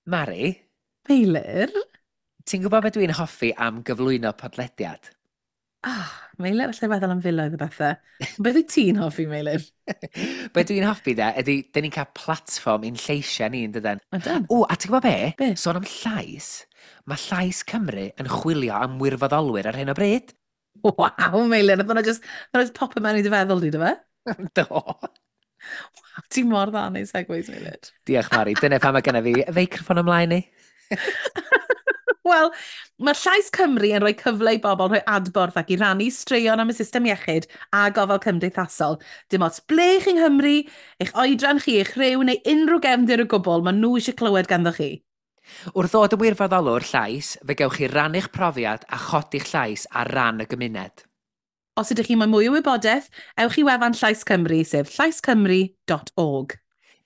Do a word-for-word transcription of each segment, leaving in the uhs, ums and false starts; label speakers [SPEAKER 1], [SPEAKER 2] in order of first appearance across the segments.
[SPEAKER 1] Mari?
[SPEAKER 2] Meilir?
[SPEAKER 1] Ti'n gwybod beth dwi'n hoffi am gyflwyno podlediad?
[SPEAKER 2] Ah, Meilir, allai feddwl am filoedd o bethau. Beth wyt ti'n hoffi, Meilir?
[SPEAKER 1] Be dwi'n hoffi de, ydy, dyn ni'n cael platfform i'n lleisiau ni, yn dydan?
[SPEAKER 2] Ydan.
[SPEAKER 1] O, a ti'n gwybod be?
[SPEAKER 2] Be?
[SPEAKER 1] Sôn am llais, mae Llais Cymru yn chwilio am wirfoddolwyr ar hyn o bryd.
[SPEAKER 2] Waw, Meilir, oedd hwnna just, hwnna just pop mewn i dy feddwl di, do fe?
[SPEAKER 1] Do.
[SPEAKER 2] Waw, ti'n mor dda neud segues, Meilir.
[SPEAKER 1] Diolch, Mari. Dyna pam mae genna fi feicroffon ymlaen i.
[SPEAKER 2] Wel, mae Llais Cymru yn rhoi cyfle i bobl rhoi adborth ac i rannu straeon am y system iechyd a gofal cymdeithasol. Dim ots ble chi yng Nghymru, eich oedran chi, eich rhyw neu unrhyw gefndir o gwbl, maen nhw eisiau clywed ganddo chi.
[SPEAKER 1] Wrth ddod yn wirfoddolwr llais, fe gewch chi rannu'ch profiad a chodi'ch llais ar ran y gymuned.
[SPEAKER 2] Os ydych chi moyn mwy o wybodaeth, ewch i wefan Llais Cymru, sef llais cymru dot org.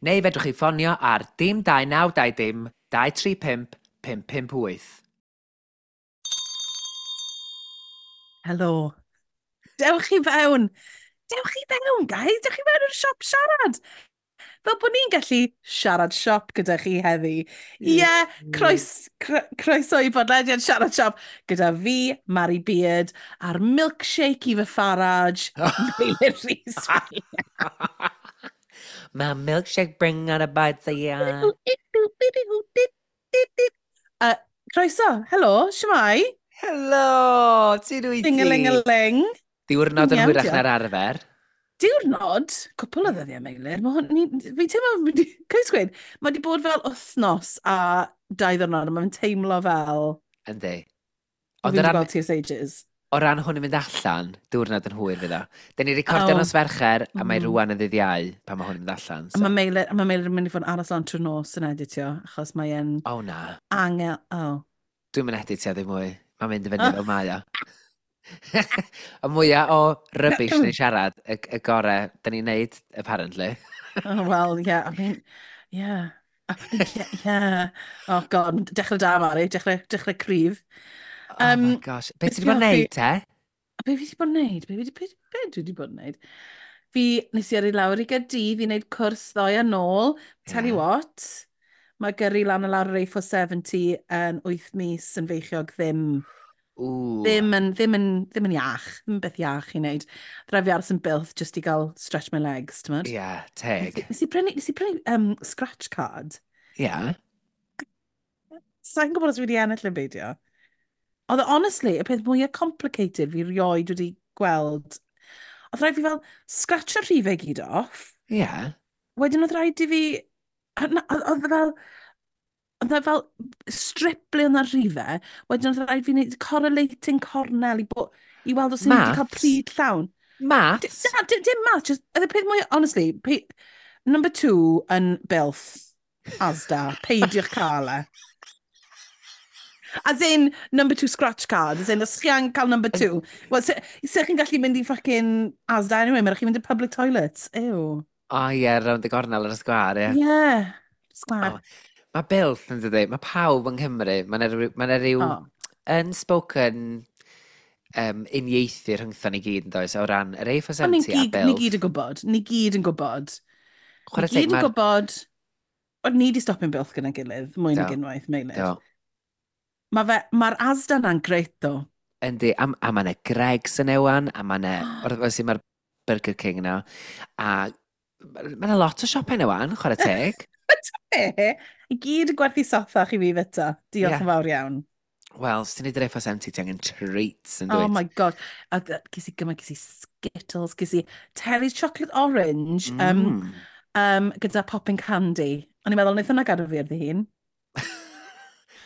[SPEAKER 1] Neu fedrwch chi ffonio ar dim dau naw dau dim dau tri pump pump pump wyth.
[SPEAKER 2] Helo. Dewch chi fewn. Dewch chi fewn, guys. Dewch chi fewn i'r siop siarad. Fel bod ni'n gallu siarad siop gyda chi heddi. Ie, yeah, croes, cro-, croeso i bodlediad Siarad Siop gyda fi, Mari Beard, a'r milkshake i fy Farage, Meilir Rhys.
[SPEAKER 1] Mae milkshake bring on a bite, yeah.
[SPEAKER 2] Uh, croeso, helo, shwmae?
[SPEAKER 1] Helo, ti'n wyt ti?
[SPEAKER 2] Ding-a-ling-a-ling.
[SPEAKER 1] Diwrnod yn
[SPEAKER 2] Iawn,
[SPEAKER 1] hwyrach
[SPEAKER 2] diolch.
[SPEAKER 1] na'r arfer.
[SPEAKER 2] Diwrnod? Cwpl o ddyddiau, Meilir. Mae hwn, ni, fi'n teimlo, fi 'di, cwys gweud, mae 'di bod fel wythnos a dau ddwrnod, a mae'n teimlo fel
[SPEAKER 1] Yndi.
[SPEAKER 2] Fi
[SPEAKER 1] Ond o
[SPEAKER 2] 'di
[SPEAKER 1] ran
[SPEAKER 2] gweld ti ers ages.
[SPEAKER 1] O ran hwn yn mynd allan, diwrnod yn hwyr fydd o. Dyn ni'n recordio
[SPEAKER 2] Oh.
[SPEAKER 1] nos Fercher, a mae
[SPEAKER 2] Mm.
[SPEAKER 1] rŵan yn ddydd Iau pan mae hwn yn mynd allan.
[SPEAKER 2] A
[SPEAKER 1] So.
[SPEAKER 2] mae Meilir, a mae Meilir yn mynd i fod yn aros lan trwy'r nos yn editio, achos mae e'n
[SPEAKER 1] O na.
[SPEAKER 2] angel... Oh.
[SPEAKER 1] Dwi'm yn editio ddim mwy. Mae'n mynd i fyny fel mae o. Y mwyaf o rubbish ni'n siarad, y, y gorau dyn ni'n neud, apparently.
[SPEAKER 2] Oh, well, yeah, I mean, yeah. Yeah, yeah. Oh, God, dechrau da, Mari, dechrau, dechrau cryf.
[SPEAKER 1] Oh
[SPEAKER 2] Um,
[SPEAKER 1] my gosh. Be ti wedi bod yn neud, te?
[SPEAKER 2] Be fi wedi bod yn neud? Be, fi 'di, be, be dwi wedi bod yn neud? Fi, nes i yrru lawr i Gaerdydd i wneud cwrs ddoe yn ôl. Tell you
[SPEAKER 1] Ie.
[SPEAKER 2] what, mae gyrru lan y lawr yr A four seventy yn wyth mis yn feichiog ddim.
[SPEAKER 1] Ww.
[SPEAKER 2] Ddim yn, ddim yn, ddim yn iach, ddim yn beth iach i wneud. Rhaid fi aros yn Builth just i gael stretch my legs, ti'n gwbod?
[SPEAKER 1] Ie, teg.
[SPEAKER 2] Nes i brynu, nes i brynu um, scratch card.
[SPEAKER 1] Ie.
[SPEAKER 2] Sa i'n gwybod os fi wedi ennill yn beidio. Oedd e, honestly, y peth mwyaf complicated fi rioed wedi gweld. Oedd rhaid fi fel scratch y rhifau gyd off.
[SPEAKER 1] Ie.
[SPEAKER 2] Wedyn oedd rhaid i fi... a na, Oedd oedd fel... Oedd e fel strip ble oedd 'na rhifau. Wedyn oedd rhaid fi wneud correlating cornel i, bo, i weld os o'n i wedi cael
[SPEAKER 1] Maths?
[SPEAKER 2] pryd llawn.
[SPEAKER 1] Maths?
[SPEAKER 2] Na, dim, dim maths. Just, oedd y peth mwy, honestly, pe, number two yn Builth, Asda, peidiwch cael e. As in, number two scratch card. As in, os chi angen cael number two. Wel, se, se chi'n gallu mynd i fucking Asda anyway, mae'n rhaid chi mynd i public toilets. Ew.
[SPEAKER 1] O ie, rownd y gornel ar y sgwâr, ie.
[SPEAKER 2] Yeah, sgwâr.
[SPEAKER 1] Oh, mae Builth yn dydi, mae pawb yng Nghymru, mae 'na ryw, mae 'na ryw
[SPEAKER 2] Oh.
[SPEAKER 1] unspoken um, uniaethu rhyngthon ni gyd yn does, o ran yr A four
[SPEAKER 2] Ond ni'n
[SPEAKER 1] seventy a
[SPEAKER 2] gyd, ni
[SPEAKER 1] Builth.
[SPEAKER 2] gyd yn gwybod. Ni gyd yn gwybod. Ni
[SPEAKER 1] Chwarae
[SPEAKER 2] gyd
[SPEAKER 1] teg,
[SPEAKER 2] yn
[SPEAKER 1] ma'r
[SPEAKER 2] gwybod. Ond ni 'di stopio'n Builth gyda'n gilydd, mwy nag
[SPEAKER 1] Do.
[SPEAKER 2] unwaith, Meilir.
[SPEAKER 1] Do.
[SPEAKER 2] Mae fe, mae'r Asda na'n grêt, ddo.
[SPEAKER 1] Yndi, a, a mae 'na Greggs yn ewan, a mae 'na, o'r oes mae'r Burger King yna, a mae 'na lot o siopau yn ewan, chwarae teg.
[SPEAKER 2] Be? I gyd yn gwerthu sothach i fi fita. Diolch
[SPEAKER 1] Ie.
[SPEAKER 2] yn fawr iawn.
[SPEAKER 1] Wel, os ti'n neud yr A four seventy, ti angen treats yn
[SPEAKER 2] Oh
[SPEAKER 1] dwyt?
[SPEAKER 2] my God. A th-, ges i gymaint, ges i Skittles, ges i Terry's Chocolate Orange, um,
[SPEAKER 1] Mm.
[SPEAKER 2] um, gyda popping candy. O'n i'n meddwl, wnaeth hwnna gadw fi ar ddihun.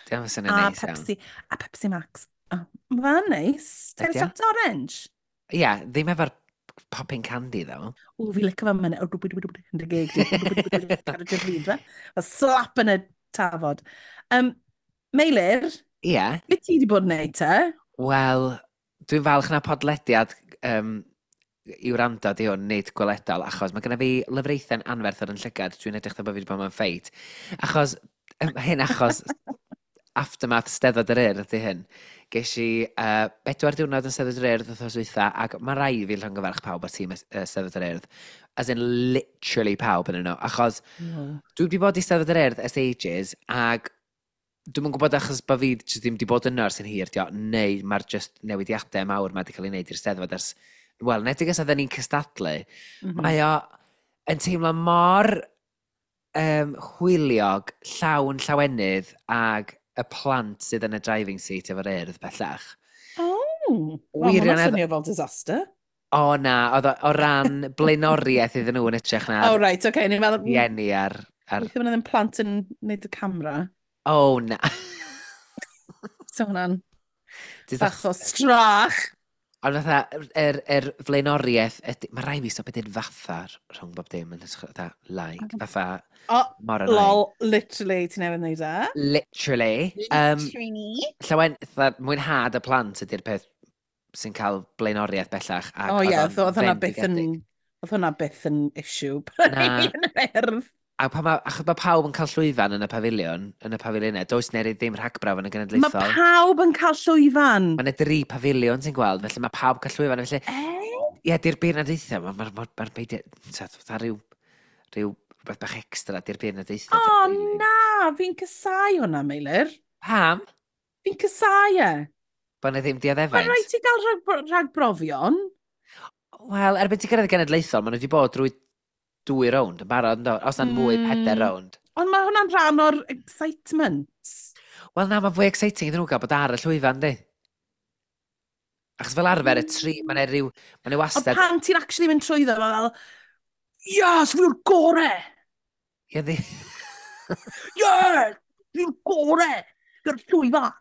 [SPEAKER 1] Diolch yn swnio'n
[SPEAKER 2] A
[SPEAKER 1] neis iawn.
[SPEAKER 2] Pepsi, a Pepsi Max. Oh, mae fe'n neis. Terry's
[SPEAKER 1] Ydi o?
[SPEAKER 2] Chocolate Orange.
[SPEAKER 1] Ie, ddim efo'r popping candy, ddo.
[SPEAKER 2] O, fi licio fe mynd, o, dw, dw, dw, dw, yn dy geg di. Dw, dw, dw, dw, cadw dy bryd fe. Fel slap yn y tafod. Um, Meilir,
[SPEAKER 1] Ie.
[SPEAKER 2] beth ti wedi bod yn neud te?
[SPEAKER 1] Wel, dwi'n falch na podlediad um, i wrando di hwn, nid gweledol, achos mae genna fi lyfreithiau'n anferth ar yn llygad, dwi'n edrych bod fi wedi bod mewn ffeit. Achos, yym, hyn achos aftermath Steddfod yr Urdd ydy hyn. Ges i uh, bedwar diwrnod yn Steddfod yr Urdd wythnos dwytha, ac mae rai fi llongyfarch pawb ar tîm uh, Steddfod yr Urdd. As in literally pawb yn yno, achos
[SPEAKER 2] No.
[SPEAKER 1] dwi wedi bod i Steddfod yr Urdd ers ages, ac Dwi'm yn gwybod achos bod fi jyst ddim wedi bod yno ers yn hir, dio, neu mae'r just newidiadau mawr mae wedi cael ei wneud i'r Steddfod ers... Wel, nedig os oedden ni'n cystadlu,
[SPEAKER 2] Mm -hmm.
[SPEAKER 1] mae o yn teimlo mor um, hwyliog, llawn llawenydd ag y plant sydd yn y driving seat efo'r Urdd bellach.
[SPEAKER 2] Oh, wel, mae'n
[SPEAKER 1] Wirionedd-
[SPEAKER 2] swnio fel disaster.
[SPEAKER 1] O na, oedd o, o ran blaenoriaeth iddyn nhw yn hytrach na'r
[SPEAKER 2] Oh, right, okay. Ni'n meddwl,
[SPEAKER 1] rhieni ar... ar...
[SPEAKER 2] weithio maen nhw ddim plant yn neud y camera.
[SPEAKER 1] O na.
[SPEAKER 2] So hwnna'n bach o
[SPEAKER 1] Disaster.
[SPEAKER 2] strach.
[SPEAKER 1] Ond fatha, yr, yr flaenoriaeth, ydy, mae rhaid fi stopio dweud fatha rhwng bob dim yn ysgol, fatha, like, fatha,
[SPEAKER 2] O,
[SPEAKER 1] mor annoying.
[SPEAKER 2] lol, literally, ti'n newydd wneud e.
[SPEAKER 1] Literally. Um,
[SPEAKER 2] Literally.
[SPEAKER 1] Llawen, fatha, mwynhad y plant ydy'r peth sy'n cael blaenoriaeth bellach. Ac
[SPEAKER 2] O ie,
[SPEAKER 1] oedd o'n
[SPEAKER 2] oedd hwnna byth yn...
[SPEAKER 1] fendigedig.
[SPEAKER 2] Oedd hwnna byth yn issue.
[SPEAKER 1] Na.
[SPEAKER 2] Yn yr Urdd.
[SPEAKER 1] A pan ma, achos mae pawb yn cael llwyfan yn y pafiliwn, yn y pafiliynau, does neu ddim rhagbrawf yn y
[SPEAKER 2] Mae
[SPEAKER 1] genedlaethol.
[SPEAKER 2] pawb yn cael llwyfan.
[SPEAKER 1] Mae yna dri pafiliwn ti'n gweld, felly mae pawb cael llwyfan. Felly,
[SPEAKER 2] Eh?
[SPEAKER 1] ie, di'r beirniadaethau, mae'r ma, ma, ma beidio, fatha rhyw, rhyw rhywbeth bach extra, di'r beirniadaethau.
[SPEAKER 2] O na, fi'n casau hwnna, Meilir.
[SPEAKER 1] Pam?
[SPEAKER 2] Fi'n casau e.
[SPEAKER 1] Bod yna ddim
[SPEAKER 2] Mae'n
[SPEAKER 1] dioddefaint?
[SPEAKER 2] rhaid ti gael rhag, rhagbrofion.
[SPEAKER 1] Wel, erbyn ti gyrraedd y genedlaethol, maen nhw wedi bod drwy dwy rownd yn barod, yndo? Os na'n mwy,
[SPEAKER 2] Mm.
[SPEAKER 1] pedair rownd.
[SPEAKER 2] Ond mae hwnna'n rhan o'r excitement.
[SPEAKER 1] Wel na, mae'n fwy exciting iddyn nhw gael bod ar y llwyfan, di. Achos fel arfer, y tri, mae'n rhyw, mae'n
[SPEAKER 2] Ond
[SPEAKER 1] wastad...
[SPEAKER 2] pan ti'n actually mynd trwyddo, mae fel, yes, fi'r gore!
[SPEAKER 1] Ie, ddi...
[SPEAKER 2] Yeah, fi'r gore! Fi'r llwyfan!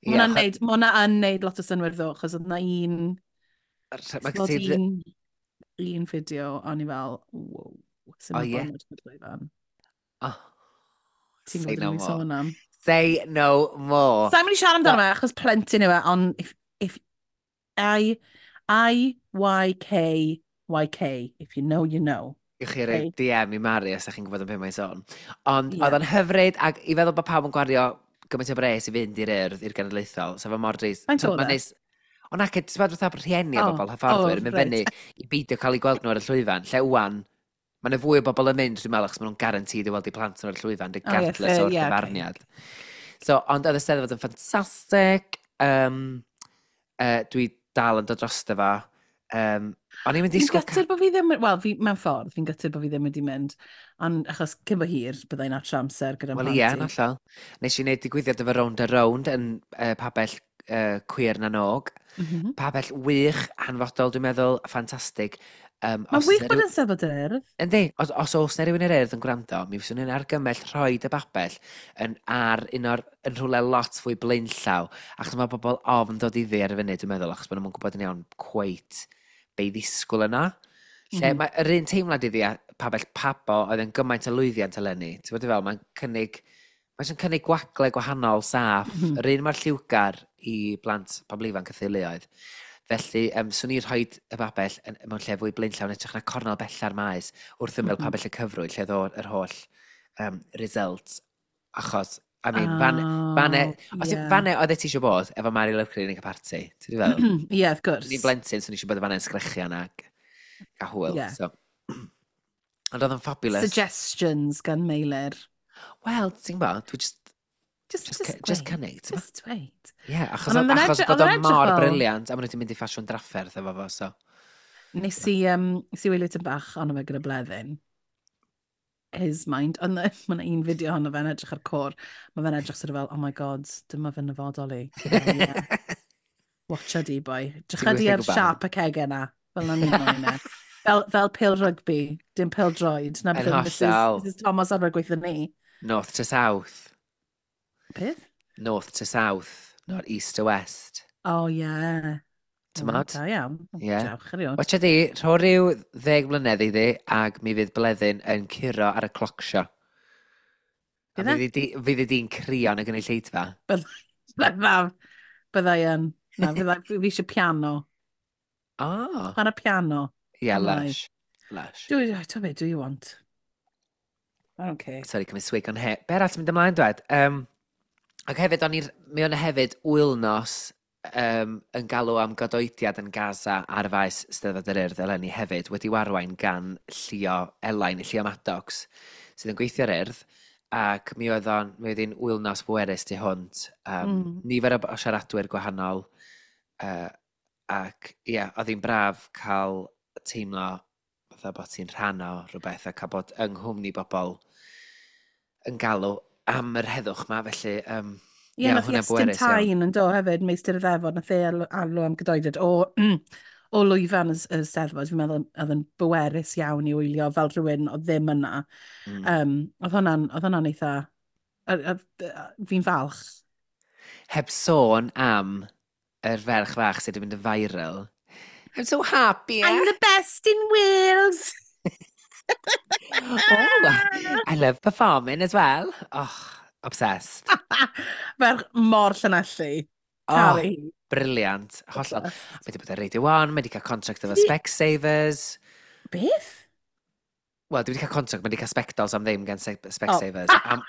[SPEAKER 1] Ie,
[SPEAKER 2] Mae hwnna'n
[SPEAKER 1] chwa-
[SPEAKER 2] neud, ma' hwnna yn neud lot o synwyr ddo, achos oedd na un,
[SPEAKER 1] Mae
[SPEAKER 2] oedd
[SPEAKER 1] gen ti-
[SPEAKER 2] un, un fideo, o'n i fel, wow, sy'n
[SPEAKER 1] O,
[SPEAKER 2] oh,
[SPEAKER 1] ie.
[SPEAKER 2] yeah. bod yn llwyfan.
[SPEAKER 1] Oh,
[SPEAKER 2] Ti'n
[SPEAKER 1] say
[SPEAKER 2] gwybod
[SPEAKER 1] no
[SPEAKER 2] yn ei
[SPEAKER 1] more.
[SPEAKER 2] sôn am.
[SPEAKER 1] Say no more.
[SPEAKER 2] Sa'n mynd i siarad amdano fe, achos plentyn yw e, ond if, if I, I, Y, K, Y, K, if you know, you know.
[SPEAKER 1] Gewch chi roi
[SPEAKER 2] Hey.
[SPEAKER 1] D M i Mari os ydych chi'n gwybod am beth mae'n sôn. Ond
[SPEAKER 2] Ie.
[SPEAKER 1] oedd o'n hyfryd, ac i feddwl bod pawb yn gwario gymaint o bres i fynd i'r Urdd, i'r genedlaethol, so fe mor drist.
[SPEAKER 2] Faint
[SPEAKER 1] So,
[SPEAKER 2] oedd
[SPEAKER 1] ma'n
[SPEAKER 2] e?
[SPEAKER 1] neis- O na, ti'n bod fatha rhieni a
[SPEAKER 2] O,
[SPEAKER 1] bobl hyfforddwyr
[SPEAKER 2] o,
[SPEAKER 1] yn mynd
[SPEAKER 2] reit.
[SPEAKER 1] fyny i beidio cael eu gweld nhw ar y llwyfan. Lle wan, mae yna fwy o bobl yn mynd, dwi'n meddwl, achos maen nhw'n guaranteed i weld eu plant nhw ar y llwyfan,
[SPEAKER 2] O, ie,
[SPEAKER 1] regardless
[SPEAKER 2] fair,
[SPEAKER 1] o'r
[SPEAKER 2] ie, ocê.
[SPEAKER 1] dyfarniad. So, ond oedd y Steddfod yn ffantastig. Um, uh, dwi dal yn dod drosto fo. Um, o'n i'n mynd i
[SPEAKER 2] Fi'n
[SPEAKER 1] disgwyl...
[SPEAKER 2] gutted bod fi ddim, wel, fi, mewn ffordd, fi'n gutted bod fi ddim wedi mynd. Ond achos cyn bo hir, byddai'n atro amser gyda'n
[SPEAKER 1] Wel
[SPEAKER 2] plant
[SPEAKER 1] ie,
[SPEAKER 2] i.
[SPEAKER 1] yn hollol. Nes i wneud digwyddiad efo Rownd a Rownd yn uh, pabell uh, Queer na Nog.
[SPEAKER 2] Mm -hmm.
[SPEAKER 1] Pabell wych, hanfodol, dwi'n meddwl, ffantastig. Um,
[SPEAKER 2] Mae'n
[SPEAKER 1] os
[SPEAKER 2] wych
[SPEAKER 1] oes 'na
[SPEAKER 2] bod
[SPEAKER 1] ryw-
[SPEAKER 2] yn Steddfod yr Urdd.
[SPEAKER 1] Yndi, os, os oes na rhywun yr Urdd yn gwrando, mi fyswn i'n argymell rhoi y babell yn ar un o'r, yn rhywle lot fwy blaenllaw, achos mae bobl ofn dod iddi ar y funud, dwi'n meddwl, achos bod nhw'n gwybod yn iawn cweit be i ddisgwyl yna. Lle mm
[SPEAKER 2] Mhm.
[SPEAKER 1] -hmm. mae yr un teimlad iddi a pabell Pabo oedd yn gymaint o lwyddiant eleni. Ti'n gwbod fel, mae'n cynnig, mae'n cynnig gwagle gwahanol, saff, mm
[SPEAKER 2] Mhm.
[SPEAKER 1] -hmm. yr un mor lliwgar i blant pobl ifanc a theuluoedd. Felly, um, swn i'n rhoi y babell yn, mewn lle fwy blaenllaw yn edrych na cornel bella'r maes wrth ymyl mm
[SPEAKER 2] Mhm.
[SPEAKER 1] -hmm. pabell y cyfrwy, lle ddod yr holl um, results. Achos, I mean, fan, fanne,
[SPEAKER 2] Oh,
[SPEAKER 1] os
[SPEAKER 2] ie.
[SPEAKER 1] yeah. fanne oedd ti eisiau bod efo Mari Lovgreen yn cael parti, ti'n fel?
[SPEAKER 2] Ie, of course.
[SPEAKER 1] Ni'n blentyn, swn i eisiau bod y fanne'n sgrechian ac a hwyl.
[SPEAKER 2] Ie.
[SPEAKER 1] So. Ond oedd yn fabulous.
[SPEAKER 2] Suggestions gan Meilir.
[SPEAKER 1] Wel, ti'n gwybod, dwi just,
[SPEAKER 2] Just,
[SPEAKER 1] just,
[SPEAKER 2] just,
[SPEAKER 1] just, just
[SPEAKER 2] gweud.
[SPEAKER 1] cynnig, ti'n gwbod?
[SPEAKER 2] Just wait.
[SPEAKER 1] Ie, achos,
[SPEAKER 2] Ond oedd o'n
[SPEAKER 1] achos
[SPEAKER 2] edrych-
[SPEAKER 1] bod
[SPEAKER 2] oedd
[SPEAKER 1] o
[SPEAKER 2] o'n edrych
[SPEAKER 1] mor
[SPEAKER 2] fel-
[SPEAKER 1] brilliant, a maen nhw wedi mynd i ffasiwn drafferth efo fo, so.
[SPEAKER 2] Nes i, um, nes i wylio tipyn bach ono fe gyda Bleddyn. His mind. Ond mae yna un fideo ohono fe'n edrych ar côr. Mae fe'n edrych sort of fel, oh my god, dyma fy nyfodol i. Oh, yeah. Watcha di, boy. Drycha di
[SPEAKER 1] gweithio
[SPEAKER 2] ar
[SPEAKER 1] gwbl.
[SPEAKER 2] siap y cegau na. Fel na ni'n moyn e. Fel, fel pêl rygbi, dim pêl droed. Na
[SPEAKER 1] Yn
[SPEAKER 2] beth oedd Missus
[SPEAKER 1] hollol.
[SPEAKER 2] Missus Thomas arfer gweithio ni.
[SPEAKER 1] North to south.
[SPEAKER 2] Peth?
[SPEAKER 1] North to south, not east to west.
[SPEAKER 2] Oh, yeah.
[SPEAKER 1] Tymod?
[SPEAKER 2] Da iawn.
[SPEAKER 1] Ie.
[SPEAKER 2] Diolch erioed.
[SPEAKER 1] Watcha di, rho ryw ddeg mlynedd iddi, ag mi fydd Bleddyn yn curo ar y clocsio. A
[SPEAKER 2] Bydd e?
[SPEAKER 1] fydd di, fydd di'n crio yn y gynulleidfa.
[SPEAKER 2] Byddaf. Byddai yn. Na, byddai, fi eisiau piano.
[SPEAKER 1] Oh,
[SPEAKER 2] Chwarae piano.
[SPEAKER 1] yeah,
[SPEAKER 2] Ymlaen.
[SPEAKER 1] lush. Lush.
[SPEAKER 2] Do, do, do, do you want? I don't care.
[SPEAKER 1] Sorry, cymryd swig o'n he. Be arall sy'n mynd ymlaen, dwed? Um, ac hefyd, o'n i'r, mi o'n hefyd wylnos um, yn galw am gadoediad yn Gaza ar faes Steddfod yr Urdd eleni hefyd, wedi warwain gan Llio Elain, Llio Maddox, sydd yn gweithio ar Urdd, Ac mi oedd o'n, mi oedd hi'n wylnos bwerus tu hwnt. Um,
[SPEAKER 2] Mm.
[SPEAKER 1] Nifer o, o siaradwyr gwahanol. Uh, ac ie, yeah, oedd hi'n braf cael teimlo fatha bod ti'n rhan o rhywbeth a cael bod yng nghwmni bobl yn galw am yr heddwch ma, felly um,
[SPEAKER 2] Ie,
[SPEAKER 1] ie,
[SPEAKER 2] nath
[SPEAKER 1] hwnna'n
[SPEAKER 2] Iestyn
[SPEAKER 1] bwerus iawn.
[SPEAKER 2] Tyne yn do hefyd, meistr y ddefod, nath e alw, alw am gadoediad o, o lwyfan y, y Steddfod. Fi'n meddwl oedd yn bwerus iawn i wylio fel rhywun oedd ddim yna.
[SPEAKER 1] Mm.
[SPEAKER 2] Um, oedd hwnna'n oedd hwnna'n eitha... a- a- a- Fi'n falch.
[SPEAKER 1] Heb sôn am yr ferch fach sydd wedi mynd yn viral. I'm so happy, eh?
[SPEAKER 2] I'm the best in Wales!
[SPEAKER 1] Oh, I love performing as well. Oh, obsessed.
[SPEAKER 2] Ferch mor Llanelli.
[SPEAKER 1] Oh,
[SPEAKER 2] Caru hi.
[SPEAKER 1] Brilliant. Hollol.
[SPEAKER 2] Obsessed.
[SPEAKER 1] Mae wedi bod ar Radio One, mae wedi cael contract efo
[SPEAKER 2] Ti-
[SPEAKER 1] Specsavers.
[SPEAKER 2] Beth?
[SPEAKER 1] Wel, dwi wedi cael contract, mae wedi cael spectols am ddim gan Se- Specsavers. Oh. Am...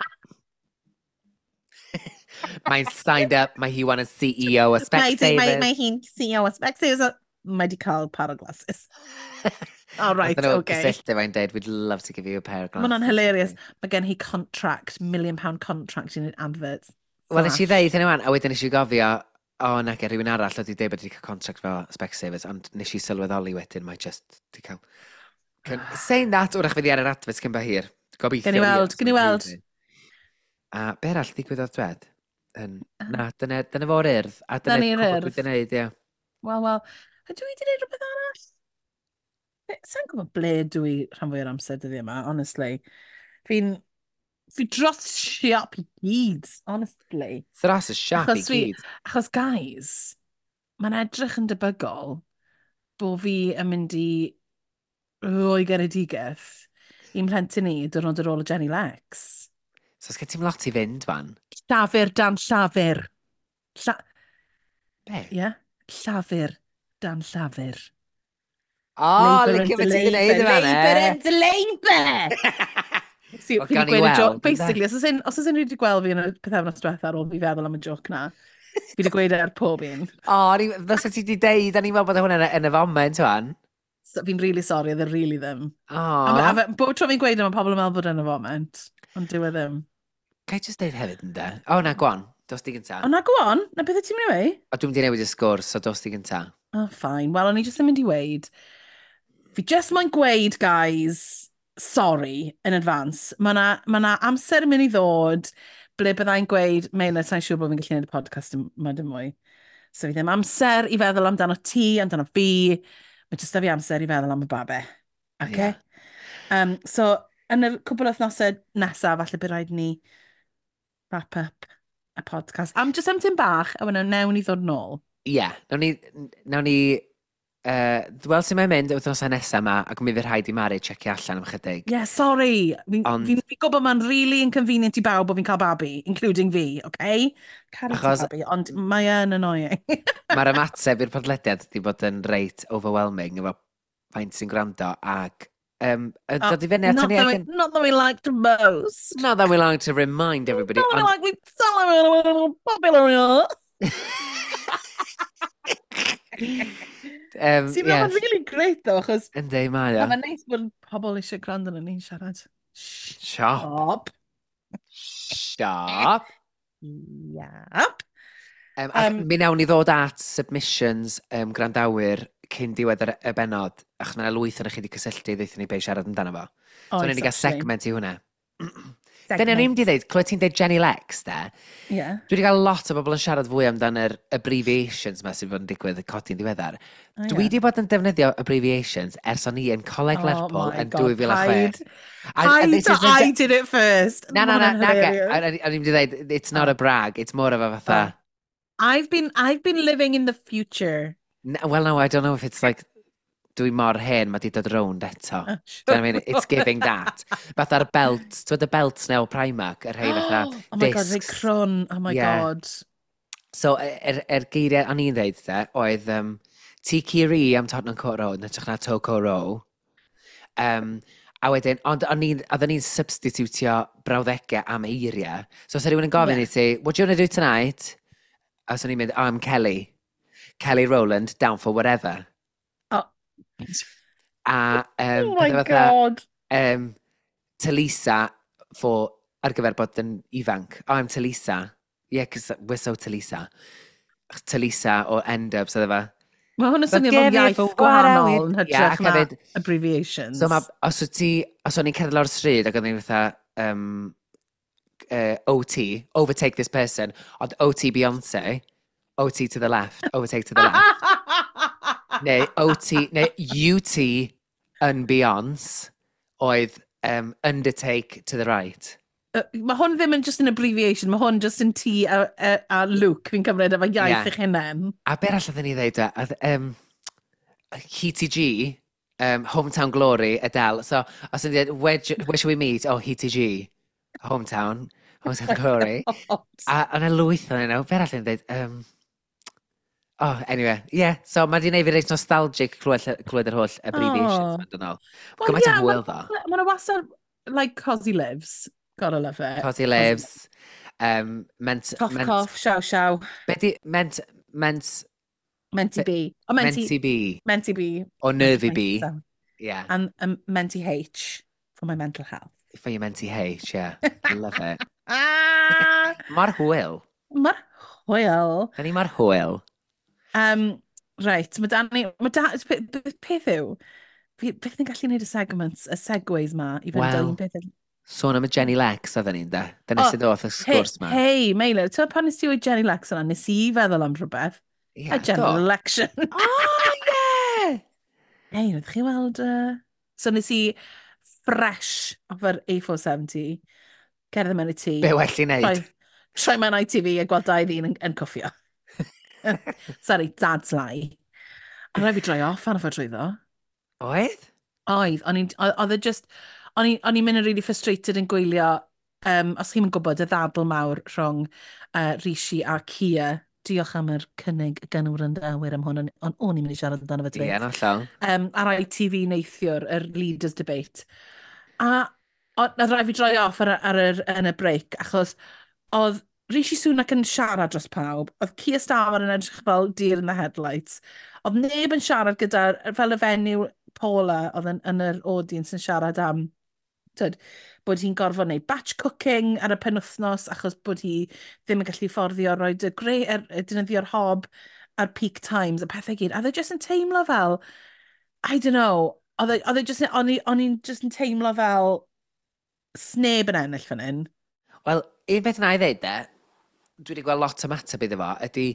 [SPEAKER 1] Mae'n signed up, mae hi wan yn C E O o
[SPEAKER 2] Mae,
[SPEAKER 1] Specsavers.
[SPEAKER 2] mae, mae hi'n C E O o Specsavers. Mae di cael par o glasses. Oh, right,
[SPEAKER 1] Nathon nhw
[SPEAKER 2] okay.
[SPEAKER 1] gysylltu fe'n deud, "We'd love to give you a pair of
[SPEAKER 2] Mae
[SPEAKER 1] glasses."
[SPEAKER 2] hwnna'n hilarious. Mae gen hi contract, million pound contract i wneud adverts.
[SPEAKER 1] Wel, nes i
[SPEAKER 2] Flash.
[SPEAKER 1] ddeud hynny wan, a wedyn nes i gofio, o, na, gen rhywun arall oedd wedi dweud bod wedi cael contract fel Specsavers, ond nes i sylweddoli wedyn, mae just di cael... Can... Saying that, wrach fydd i ar yr advert cyn bo hir. Gobeithio.
[SPEAKER 2] Gen i
[SPEAKER 1] wir,
[SPEAKER 2] weld, gen i weld.
[SPEAKER 1] A be arall ddigwyddodd dwed? Yn... Na, dyna, dyna fo'r Urdd. A
[SPEAKER 2] Na
[SPEAKER 1] dyna
[SPEAKER 2] ni'r
[SPEAKER 1] cwbl dwi
[SPEAKER 2] Urdd.
[SPEAKER 1] wedi gwneud, ie.
[SPEAKER 2] Wel, wel. Ydw i wedi gwneud rhywbeth arall? Sa'n gwybod ble dwi rhan fwy o'r amser dyddi yma, honestly. Fi'n... Fi dros siop i gyd, honestly.
[SPEAKER 1] Dros y siop i
[SPEAKER 2] Achos fi-
[SPEAKER 1] gyd.
[SPEAKER 2] Achos, guys, mae'n edrych yn debygol bod fi yn mynd i roi genedigaeth i'n plentyn ni diwrnod ar ôl y Jenny Lex.
[SPEAKER 1] So, os gen ti'n lot i fynd, fan?
[SPEAKER 2] Llafur dan llafur. Lla...
[SPEAKER 1] Be?
[SPEAKER 2] Ie? Yeah? Llafur dan llafur.
[SPEAKER 1] O,
[SPEAKER 2] Labour
[SPEAKER 1] licio
[SPEAKER 2] and
[SPEAKER 1] beth ti'n gwneud
[SPEAKER 2] Labour,
[SPEAKER 1] yma,
[SPEAKER 2] Labour
[SPEAKER 1] ne?
[SPEAKER 2] and Labour! See,
[SPEAKER 1] Wel,
[SPEAKER 2] fi 'di
[SPEAKER 1] gawn ni
[SPEAKER 2] gweud y joke.
[SPEAKER 1] weld, ynde?
[SPEAKER 2] Basically, os oes un- os oes unrhyw wedi gweld fi yn y pythefnos diwetha ar ôl fi feddwl am y joke na, fi wedi gweud e ar pob un.
[SPEAKER 1] O, ni- ddylse ti wedi deud, a ni'n meddwl bod hwnna yn y- yn y foment, wan.
[SPEAKER 2] So, fi'n really sorry, oedd e really ddim.
[SPEAKER 1] O.
[SPEAKER 2] A, a, fe- bob tro fi'n gweud e, mae pobl yn meddwl bod e'n y foment. Ond dyw e ddim.
[SPEAKER 1] Ga i just deud hefyd, ynde? O, na, go on. Dos di gynta.
[SPEAKER 2] O na, go on. Na beth y ti'n mynd i weud?
[SPEAKER 1] O, dwi'n mynd i newid y sgwrs, so dos di gynta.
[SPEAKER 2] Oh, fine. Wel, o'n i jyst yn mynd i weud. Fi just moyn gweud, guys, sorry in advance. Mae na, ma na amser yn mynd i ddod ble byddai'n gweud, "Meilir, sa'n siŵr bod fi'n gallu gwneud y podcast yma dim mwy. So fi ddim amser i feddwl amdano ti, amdano fi. Mae jyst da fi amser i feddwl am y babe." Okay?
[SPEAKER 1] Ie.
[SPEAKER 2] Um, so, yn y cwbl o wythnosau nesaf, falle bydd rhaid ni wrap up y podcast. Am jyst am tym bach, a wedyn newn ni ddod nôl.
[SPEAKER 1] Ie, nawn ni, nawn ni, uh, weld sut mae'n mynd wythnosau nesaf yma, ac mi fydd rhaid i Mari checio allan am chydig.
[SPEAKER 2] Yeah, sorry. Fi'n
[SPEAKER 1] Ond-
[SPEAKER 2] fi, fi gwybod mae'n really inconvenient i bawb bod fi'n cael babi, including fi, okay? Caru
[SPEAKER 1] Achos-
[SPEAKER 2] babi, ond mae yn annoying.
[SPEAKER 1] Mae'r ymateb i'r podlediad wedi bod yn reit overwhelming efo faint sy'n gwrando ac um, oh, dod i fyny ato
[SPEAKER 2] not,
[SPEAKER 1] ni
[SPEAKER 2] that
[SPEAKER 1] ac
[SPEAKER 2] we,
[SPEAKER 1] yn...
[SPEAKER 2] not that we like to boast.
[SPEAKER 1] Not that we like to remind everybody,
[SPEAKER 2] Not
[SPEAKER 1] ond
[SPEAKER 2] like we tell popular we are.
[SPEAKER 1] Um,
[SPEAKER 2] Ti'n
[SPEAKER 1] yeah,
[SPEAKER 2] meddwl mae'n really great though, achos
[SPEAKER 1] Yndi, mae o.
[SPEAKER 2] mae'n neis bod pobl eisiau gwrando arnon ni'n siarad.
[SPEAKER 1] Siop.
[SPEAKER 2] Siop.
[SPEAKER 1] Siop.
[SPEAKER 2] Yep.
[SPEAKER 1] Um, ac
[SPEAKER 2] Um,
[SPEAKER 1] mi nawn ni ddod at submissions um, gwrandawyr cyn diwedd yr, y benod, achos mae yna lwyth o'n chi wedi cysylltu i ddeithio ni be i siarad amdano fo. So,
[SPEAKER 2] Oes,
[SPEAKER 1] wnawn ni gael
[SPEAKER 2] actually.
[SPEAKER 1] segment i hwnna. Dyna ni'n mynd i ddeud, clywed ti'n deud Jenny Lex, de?
[SPEAKER 2] Yeah.
[SPEAKER 1] Dwi wedi cael lot o bobl yn siarad fwy amdan yr abbreviations ma sydd wedi bod yn digwydd y codi'n ddiweddar.
[SPEAKER 2] Oh,
[SPEAKER 1] Dwi wedi bod yn defnyddio abbreviations ers o'n i yn Coleg
[SPEAKER 2] Oh
[SPEAKER 1] Lerpwl
[SPEAKER 2] my
[SPEAKER 1] yn
[SPEAKER 2] God,
[SPEAKER 1] dwy fil a chwech.
[SPEAKER 2] paid.
[SPEAKER 1] A- a
[SPEAKER 2] Paid,
[SPEAKER 1] this is
[SPEAKER 2] I did it first.
[SPEAKER 1] Na, na,
[SPEAKER 2] Ma'
[SPEAKER 1] na,
[SPEAKER 2] hwnna'n
[SPEAKER 1] na,
[SPEAKER 2] hilarious.
[SPEAKER 1] o'n i'n mynd i ddeud, it's not a brag, it's more of a fatha,
[SPEAKER 2] I've been, I've been living in the future.
[SPEAKER 1] N- Well, no, I don't know if it's like, dwi mor hen, mae di dod rownd eto.
[SPEAKER 2] Oh,
[SPEAKER 1] Do you know what I mean? It's giving that. Fatha'r belt, ti'n gwbod y belt neu o Primark, yr rhai fatha
[SPEAKER 2] Oh my God, rhai
[SPEAKER 1] discs.
[SPEAKER 2] crwn. Oh my
[SPEAKER 1] Yeah.
[SPEAKER 2] God.
[SPEAKER 1] So, yr er, er geiriau o'n i'n dweud, de, oedd um, T Q R E am Tottenham Court Road, yn hytrach na Toko Row. Um, a wedyn, ond o'n i'n, oedden ni'n substitutio brawddegau am eiriau. So, os rhywun yn gofyn
[SPEAKER 2] Yeah.
[SPEAKER 1] i ti, "What do you want to do tonight?" A so ni'n mynd, "Oh, I'm Kelly. Kelly Rowland, down for whatever."
[SPEAKER 2] Oh.
[SPEAKER 1] A um,
[SPEAKER 2] Oh my
[SPEAKER 1] pethau fatha,
[SPEAKER 2] God.
[SPEAKER 1] um, Talisa for Ar gyfer bod yn ifanc. Oh, I'm Tulisa. Yeah, cos we're so Tulisa. Tulisa o N-Dubz, oedd efo.
[SPEAKER 2] Mae hwn yn swnio fel iaith gwahanol yn hytrach yeah, na abbreviations.
[SPEAKER 1] So ma, os wyt ti, os o'n i'n cerdded lawr stryd ac o'n i'n fatha um, uh, O T, overtake this person, ond O T Beyonce, O T to the left, overtake to the left. Neu O T, neu U T yn Beyonce, oedd um, undertake to the right.
[SPEAKER 2] Uh, mae hwn ddim yn just an abbreviation, mae hwn just yn T a, a, a Luke, fi'n cymryd efo iaith yeah. eich hunain.
[SPEAKER 1] A be arall oedden ni ddeud, e, um, H T G, um, Hometown Glory, Adele. So, os yn dweud, where, where shall we meet? Oh, H T G, Hometown, Hometown Glory. A yna lwyth o'n nhw, be arall yn dweud, um, oh, anyway, yeah, so mae di wneud fi reit nostalgic clywed, clywed yr holl abbreviations oh. Ma'n ôl. Well, gymaint yeah, o hwyl ddo.
[SPEAKER 2] Mae'n wastad, like, Cosy Lives. Gotta love it.
[SPEAKER 1] Cosy Lives. Um, ment,
[SPEAKER 2] Cough, ment, cough, show, show.
[SPEAKER 1] Be di, ment, ment...
[SPEAKER 2] Menti B.
[SPEAKER 1] Oh, menti, menti B.
[SPEAKER 2] Menti B.
[SPEAKER 1] Or Nervy B. Yeah.
[SPEAKER 2] And um, Menti H for my mental health.
[SPEAKER 1] For your Menti H, yeah. Love it. Mae'r hwyl.
[SPEAKER 2] Mae'r hwyl.
[SPEAKER 1] Da ni mae'r hwyl.
[SPEAKER 2] Um, right, mae Danny... Mae da, peth yw, fi byth yn gallu gwneud y segments, y segues ma, i fynd well, un peth.
[SPEAKER 1] Sôn am y Jenny Lex oedden ni'n da. Dyna oh, sydd oedd y sgwrs ma.
[SPEAKER 2] Hei, Meilir, ti'n pan nes ti wedi Jenny Lex yna, nes i feddwl am rhywbeth?
[SPEAKER 1] Yeah,
[SPEAKER 2] a general do. Election.
[SPEAKER 1] Oh, yeah!
[SPEAKER 2] Hei, wnaeth chi weld... Uh... So nes i fresh off yr A four seventy, cerdded mewn i tŷ.
[SPEAKER 1] Be well i wneud?
[SPEAKER 2] Troi, troi mewn I T V a gweld dau ddyn yn, yn cwffio. Sorry, dad's lie. Ond rhaid fi droi off arno fo trwyddo.
[SPEAKER 1] Oedd?
[SPEAKER 2] Oedd. O'n i'n- oedd e just... O'n i'n mynd yn really frustrated yn gwylio, um, os chi'n gwybod, y ddadl mawr rhwng uh, Rishi a Keir. Diolch am yr cynnig gan y wrandawyr am hwn, ond o'n i'n mynd i siarad amdano fe
[SPEAKER 1] Ie, yeah, hollol.
[SPEAKER 2] Um, ar I T V neithiwr, yr Leaders Debate. A o, nath rhaid fi droi off ar, ar, ar, yn y break, achos oedd Rishi Sunak yn siarad dros pawb, oedd Keir Starmer yn edrych fel deer in the headlights, oedd neb yn siarad gyda, fel y fenyw Paula oedd yn, yn yr audience yn siarad am tyd, bod hi'n gorfod gwneud batch cooking ar y penwythnos achos bod hi ddim yn gallu fforddio rhoi y gre, er, defnyddio'r hob ar peak times a pethau gyd. A oedd e just yn teimlo fel, I don't know, oedd e, oedd e just, o'n i'n just yn teimlo fel sneb yn ennill fan hyn.
[SPEAKER 1] Wel, un beth na i ddeud de, dwi wedi gweld lot o ymateb iddo fo, ydy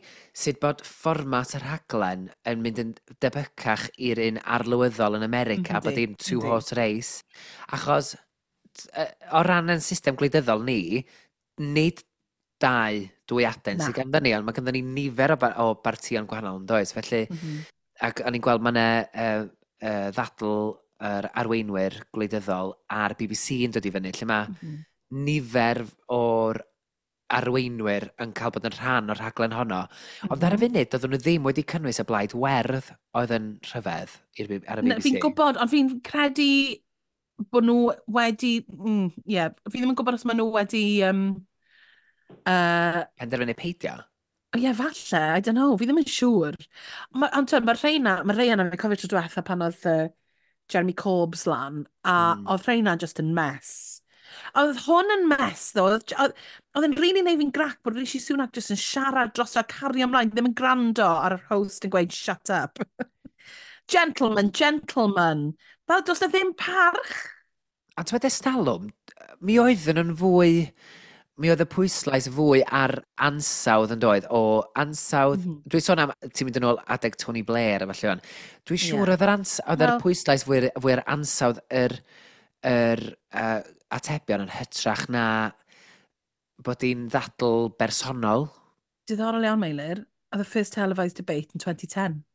[SPEAKER 1] sut bod fformat y rhaglen yn mynd yn debycach i'r un arlywyddol yn America, bod hi'n two-horse race. Achos, o ran yn system gwleidyddol ni, nid dau dwy aden sydd ganddo ni, ond mae ganddo ni nifer o, o bartion gwahanol yn does. Felly, mm -hmm. ac o'n i'n gweld mae yna uh, uh, ddadl yr arweinwyr gwleidyddol ar B B C yn dod i fyny, lle mae mm -hmm. nifer o'r arweinwyr yn cael bod yn rhan o'r rhaglen honno. Ond ar y mhm. funud, doedden nhw ddim wedi cynnwys y Blaid Werdd oedd yn rhyfedd i'r, ar y B B C.
[SPEAKER 2] Fi'n gwybod, ond fi'n credu bod nhw wedi... Mm, yeah, fi ddim yn gwybod os maen nhw wedi... Um,
[SPEAKER 1] uh, Penderfynu peidio?
[SPEAKER 2] Ie, yeah, falle, I don't know, fi ddim yn siŵr. Ma, ond mae rheina, mae rheina, fi'n cofio tro diwetha pan oedd uh, Jeremy Corbs lan, a mm. oedd rheina just yn mess. Oedd hwn yn mess, ddo. Oedd, oedd yn really neud fi'n grac bod Rishi Sunak just yn siarad dros a cario ymlaen, ddim yn gwrando ar yr host yn gweud "Shut up. Gentleman, gentleman." Fel, does na ddim parch.
[SPEAKER 1] A ti'n estalwm, mi oedden nhw'n fwy, mi oedd y pwyslais fwy ar ansawdd yn doedd, o ansawdd, mm -hmm. dwi'n sôn am, ti'n mynd yn ôl adeg Tony Blair a falle. Dwi'n siŵr yeah. oedd yr, ans, oedd yr well, pwyslais fwy, fwy ar ansawdd yr, yr uh, atebion yn hytrach na bod hi'n ddadl bersonol.
[SPEAKER 2] Diddorol iawn, Meilir, oedd y first televised debate in twenty ten.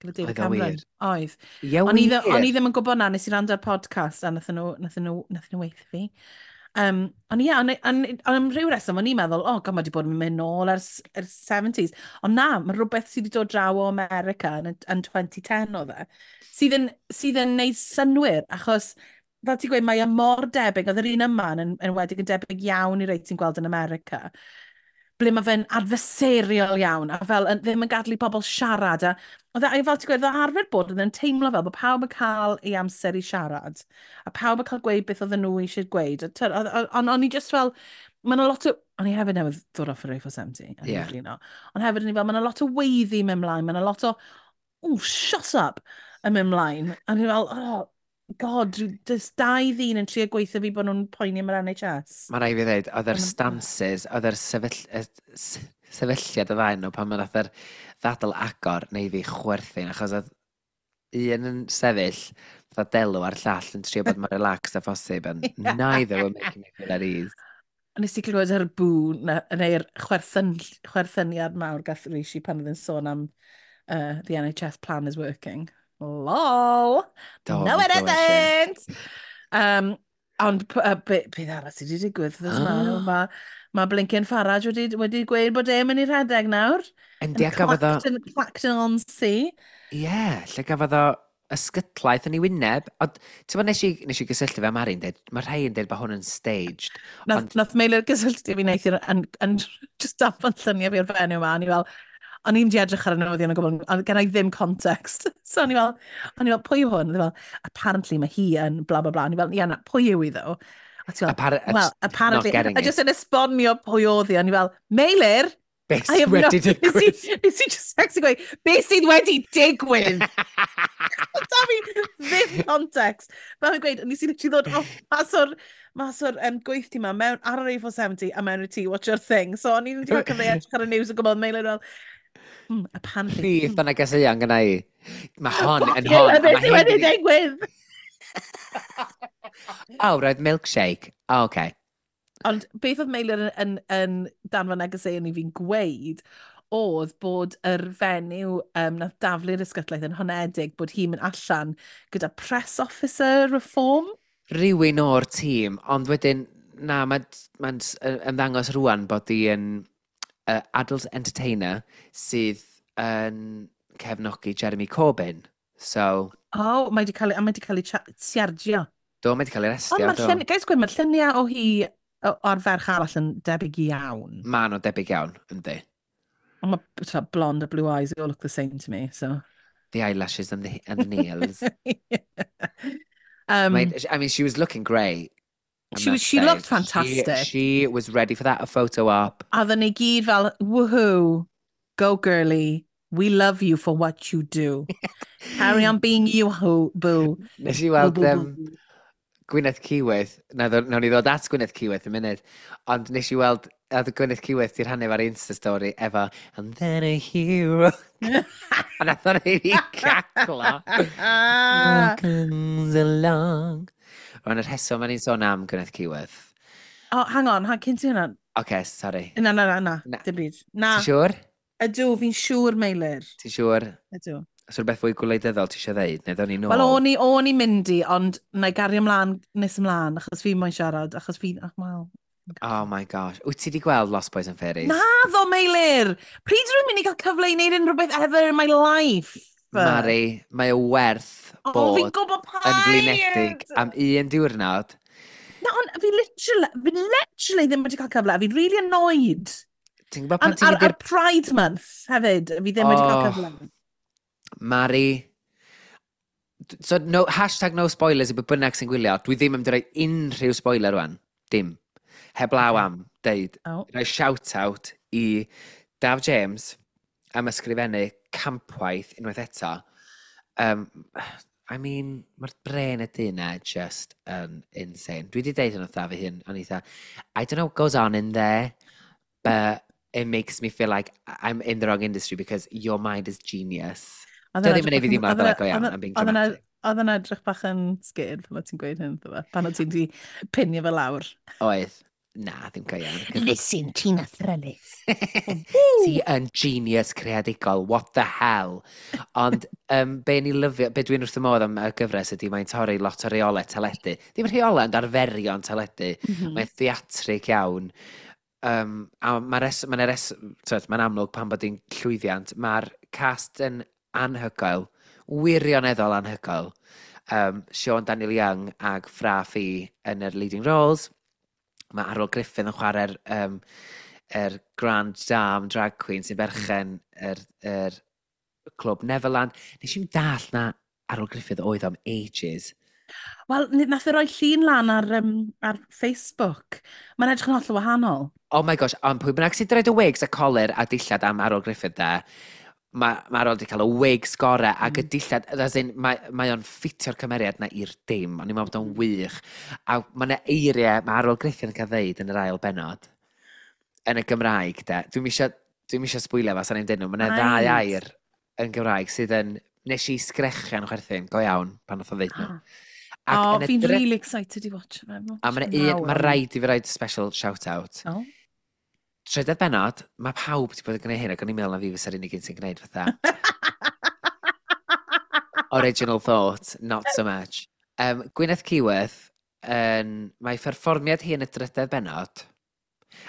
[SPEAKER 2] Gyda David Cameron. Oedd.
[SPEAKER 1] Ie,
[SPEAKER 2] wir. O'n i ddim yn gwybod na, nes i rando ar podcast a nathon nhw, nathon nhw, nathon nhw weithio fi. Um, ond ie, ond on, on, am ryw reswm, o'n i'n meddwl, "Oh god, mae wedi bod yn mynd nôl ers, ers seventies" Ond na, mae rhywbeth sydd wedi dod draw o America yn, yn twenty ten oedd e. Sydd yn, sydd yn neud synwyr, achos fel ti'n gweud, mae e mor debyg, oedd yr un yma yn, yn enwedig yn debyg iawn i rei ti'n gweld yn America. ble mae fe'n adversarial iawn, a fel yn, ddim yn gadw i pobl siarad. A, oedd e, fel ti'n gweud, oedd e arfer bod oedd e'n teimlo fel bod pawb yn cael ei amser i siarad, a pawb yn cael gweud beth oedden nhw eisiau gweud. Ond o'n i just fel, mae yna lot o... O'n i hefyd newydd ddod off yr A four seventy, o'n i'n blino. Ond hefyd o'n i fel, mae yna lot o weiddi mynd mlaen, mae yna lot o, oh, shut up, yn mynd mlaen. A o'n i fel, oh, God, does dau ddyn yn trio gweithio fi bod nhw'n poeni am yr N H S.
[SPEAKER 1] Mae rhaid fi ddweud, oedd yr stances, oedd yr sefyll, sefylliad y ddau nhw pan nath yr ddadl agor neu fi chwerthin, achos oedd un yn sefyll, fatha delw a'r llall yn trio bod mor relaxed a phosib, and neither were making me feel at ease.
[SPEAKER 2] A nes i glywed yr bŵ, neu'r chwerthyn, chwerthyniad mawr gath Rishi pan oedd yn sôn am uh, the N H S plan is working. Lol!
[SPEAKER 1] Do,
[SPEAKER 2] no it isn't! Um, ond uh, beth arall sydd wedi digwydd wythnos yma? Mae ma Blinken Farage wedi, wedi gweud bod e'n mynd i rhedeg nawr.
[SPEAKER 1] Yndi, a gafodd o...
[SPEAKER 2] Clacton on Sea.
[SPEAKER 1] Ie, yeah, lle gafodd o ysgytlaeth yn ei wyneb. Ond, ti'n bod, nes i, nes i gysylltu fe Mari'n dweud, mae rhai yn dweud bod hwn yn staged.
[SPEAKER 2] Nath, ond... nath Meilir gysylltu fi neithiwr yn, yn, just danfon lluniau fi o'r fenyw yma, a ni fel, o'n i'n di edrych ar y newyddion o gwbl, ond gen i ddim context. So o'n i fel, o'n i fel, pwy yw hwn? Fel, apparently mae hi yn bla bla bla. O'n i fel, ie, na, pwy yw hi ddo? A ti fel,
[SPEAKER 1] Appar
[SPEAKER 2] well, apparently, a just yn esbonio pwy oedd hi. O'n i fel, Meilir,
[SPEAKER 1] beth sydd wedi digwydd?
[SPEAKER 2] Nes i just sexy gweud, beth sydd wedi digwydd? Da fi ddim context. Fel fi'n gweud, nes i literally ddod off mas o'r, mas o'r um, gweithdy ma, mewn ar yr A four seventy a mewn i ti, watch your thing. So o'n i'n cael cyfle edrych ar y news o gwbl, Meilir fel, hmm, apparently.
[SPEAKER 1] Rhif hmm. negeseuon gynna i. Mae hon yn hon.
[SPEAKER 2] Beth sydd wedi digwydd?
[SPEAKER 1] Oh, roedd milkshake. Oh, okay.
[SPEAKER 2] Ond beth oedd Meilir yn, yn, yn danfon negeseuon i fi'n gweud oedd bod yr fenyw um, nath daflu'r ysgytlaeth yn honedig bod hi'n mynd allan gyda press officer reform.
[SPEAKER 1] Rhywun o'r tîm, ond wedyn, na, mae'n ma ymddangos rwan bod hi yn uh, adult entertainer sydd yn cefnogi Jeremy Corbyn. So...
[SPEAKER 2] Oh, mae wedi cael, mae wedi cael ei siarjio.
[SPEAKER 1] Do, mae wedi cael ei arestio.
[SPEAKER 2] Ond mae'r llun, guys, gweud, mae'r lluniau o hi o'r ferch arall yn debyg iawn.
[SPEAKER 1] Ma nhw'n debyg iawn, yndi.
[SPEAKER 2] Ond mae blonde a blue eyes, they all look the same to me, so...
[SPEAKER 1] The eyelashes and the, and the nails.
[SPEAKER 2] Yeah. Um,
[SPEAKER 1] I mean, she was looking great.
[SPEAKER 2] She, was, she looked fantastic.
[SPEAKER 1] She, she was ready for that, a photo op.
[SPEAKER 2] A oedden ni gyd fel, woohoo, go girly, we love you for what you do. Carry on being you, ho, boo.
[SPEAKER 1] Nes i weld um, Gwyneth Keyworth, nawn ni ddod at Gwyneth Keyworth yn munud, ond nes i weld, oedd Gwyneth Keyworth di rhannu ar Insta story efo, and then a hero. A nath o'n ei fi caclo. Comes along. Rwan, y rheswm ma'n i'n sôn am Gwyneth Keyworth.
[SPEAKER 2] Oh, hang on, hang, cyn ti hwnna?
[SPEAKER 1] Oce, sorry.
[SPEAKER 2] Na, na, na, na, dim byd. Na.
[SPEAKER 1] Ti'n siŵr?
[SPEAKER 2] Ydw, fi'n siŵr, Meilir.
[SPEAKER 1] Ti'n siŵr?
[SPEAKER 2] Ydw.
[SPEAKER 1] Os rhywbeth fwy gwleidyddol ti eisiau ddeud, neu ddown ni nôl?
[SPEAKER 2] Wel, o'n i, o'n i mynd i, ond na i gario ymlaen nes ymlaen, achos fi moyn siarad, achos fi, oh, well.
[SPEAKER 1] Oh my gosh. Wyt ti wedi gweld Lost Boys and Fairies?
[SPEAKER 2] Na ddo, Meilir! Pryd rwy'n mynd i gael cyfle i wneud unrhyw beth ever in my life?
[SPEAKER 1] Mari, mae o werth
[SPEAKER 2] oh,
[SPEAKER 1] bod
[SPEAKER 2] fi'n gwybod paid!
[SPEAKER 1] Yn flinedig am un diwrnod.
[SPEAKER 2] Na, ond fi literally, fi literally ddim wedi cael cyfle, fi'n really annoyed.
[SPEAKER 1] Ti'n gwybod pan ti'n
[SPEAKER 2] mynd i'r... Ar Pride Month hefyd, fi ddim wedi cael cyfle.
[SPEAKER 1] Mari, so no, hashtag no spoilers i beth bynnag sy'n gwylio, dwi ddim yn mynd i roi unrhyw spoiler rwan, dim. Heblaw am, deud,
[SPEAKER 2] oh.
[SPEAKER 1] Rhoi shout-out i Daf James am ysgrifennu campwaith unwaith eto. Um, I mean, mae'r bren y dyn na just yn insane. Dwi wedi deud yn wrth Daf ei hun, o'n i dda, I don't know what goes on in there, but it makes me feel like I'm in the wrong industry because your mind is genius. Dio ddim yn ei fi ddim fel go iawn, I'm being dramatic.
[SPEAKER 2] Oedd yn edrych bach yn scared pan oedd ti'n gweud hyn, pan oedd ti'n di pinio fe lawr.
[SPEAKER 1] Oedd. Na, ddim go iawn.
[SPEAKER 2] Listen, ti'n athrylith.
[SPEAKER 1] Ti yn genius creadigol, what the hell? Ond um, be ni lyfio, be dwi'n wrth y modd am y gyfres ydy mae'n torri lot o reolau teledu. Ddim rheolau, ond arferion teledu.
[SPEAKER 2] Mm -hmm.
[SPEAKER 1] Mae'n theatrig iawn. Um, a mae'n res, ma res, mae'n amlwg pan bod hi'n llwyddiant. Mae'r cast yn anhygoel, wirioneddol anhygoel. Um, Sean Daniel Young ag Fra Fee yn yr leading roles. Mae Arwel Griffith yn chwarae'r um, Yr Grand Dame drag queen sy'n berchen yr, yr clwb Neverland. Nes i'm dall na Arwel Gruffydd oedd am ages.
[SPEAKER 2] Wel, nath e roi llun lan ar, um, ar Facebook. Mae'n edrych yn hollol wahanol.
[SPEAKER 1] Oh my gosh, ond pwy bynnag sy'n dweud y wigs a coler a dillad am Arwel Gruffydd de, mae ma Arwel wedi cael y wigs gorau mm. ac y dillad, as in, mae, mae o'n ffitio'r cymeriad na i'r dim, o'n i'n meddwl bod o'n wych. A mae yna eiriau, mae Arwel Gruffydd yn cael ddeud yn yr ail benod, yn y Gymraeg de. Dwi'm isio, dwi'm isio sbwylio fa, sa'n i'n dweud nhw. Mae yna ddau air yn Gymraeg sydd yn... Nes i sgrechian chwerthin, go iawn, pan nath o ddeud nhw.
[SPEAKER 2] Ac oh, fi'n dre... really excited i watch fe.
[SPEAKER 1] A mae'n un, mae rhaid i fi roid special shout-out. Oh. Trydedd benod, mae pawb wedi bod yn gwneud hyn, ac o'n i'n meddwl na fi fysa'r unig un sy'n gwneud fatha. Original thought, not so much. Um, Gwyneth Keyworth, um, mae pherfformiad hi yn y drydedd benod,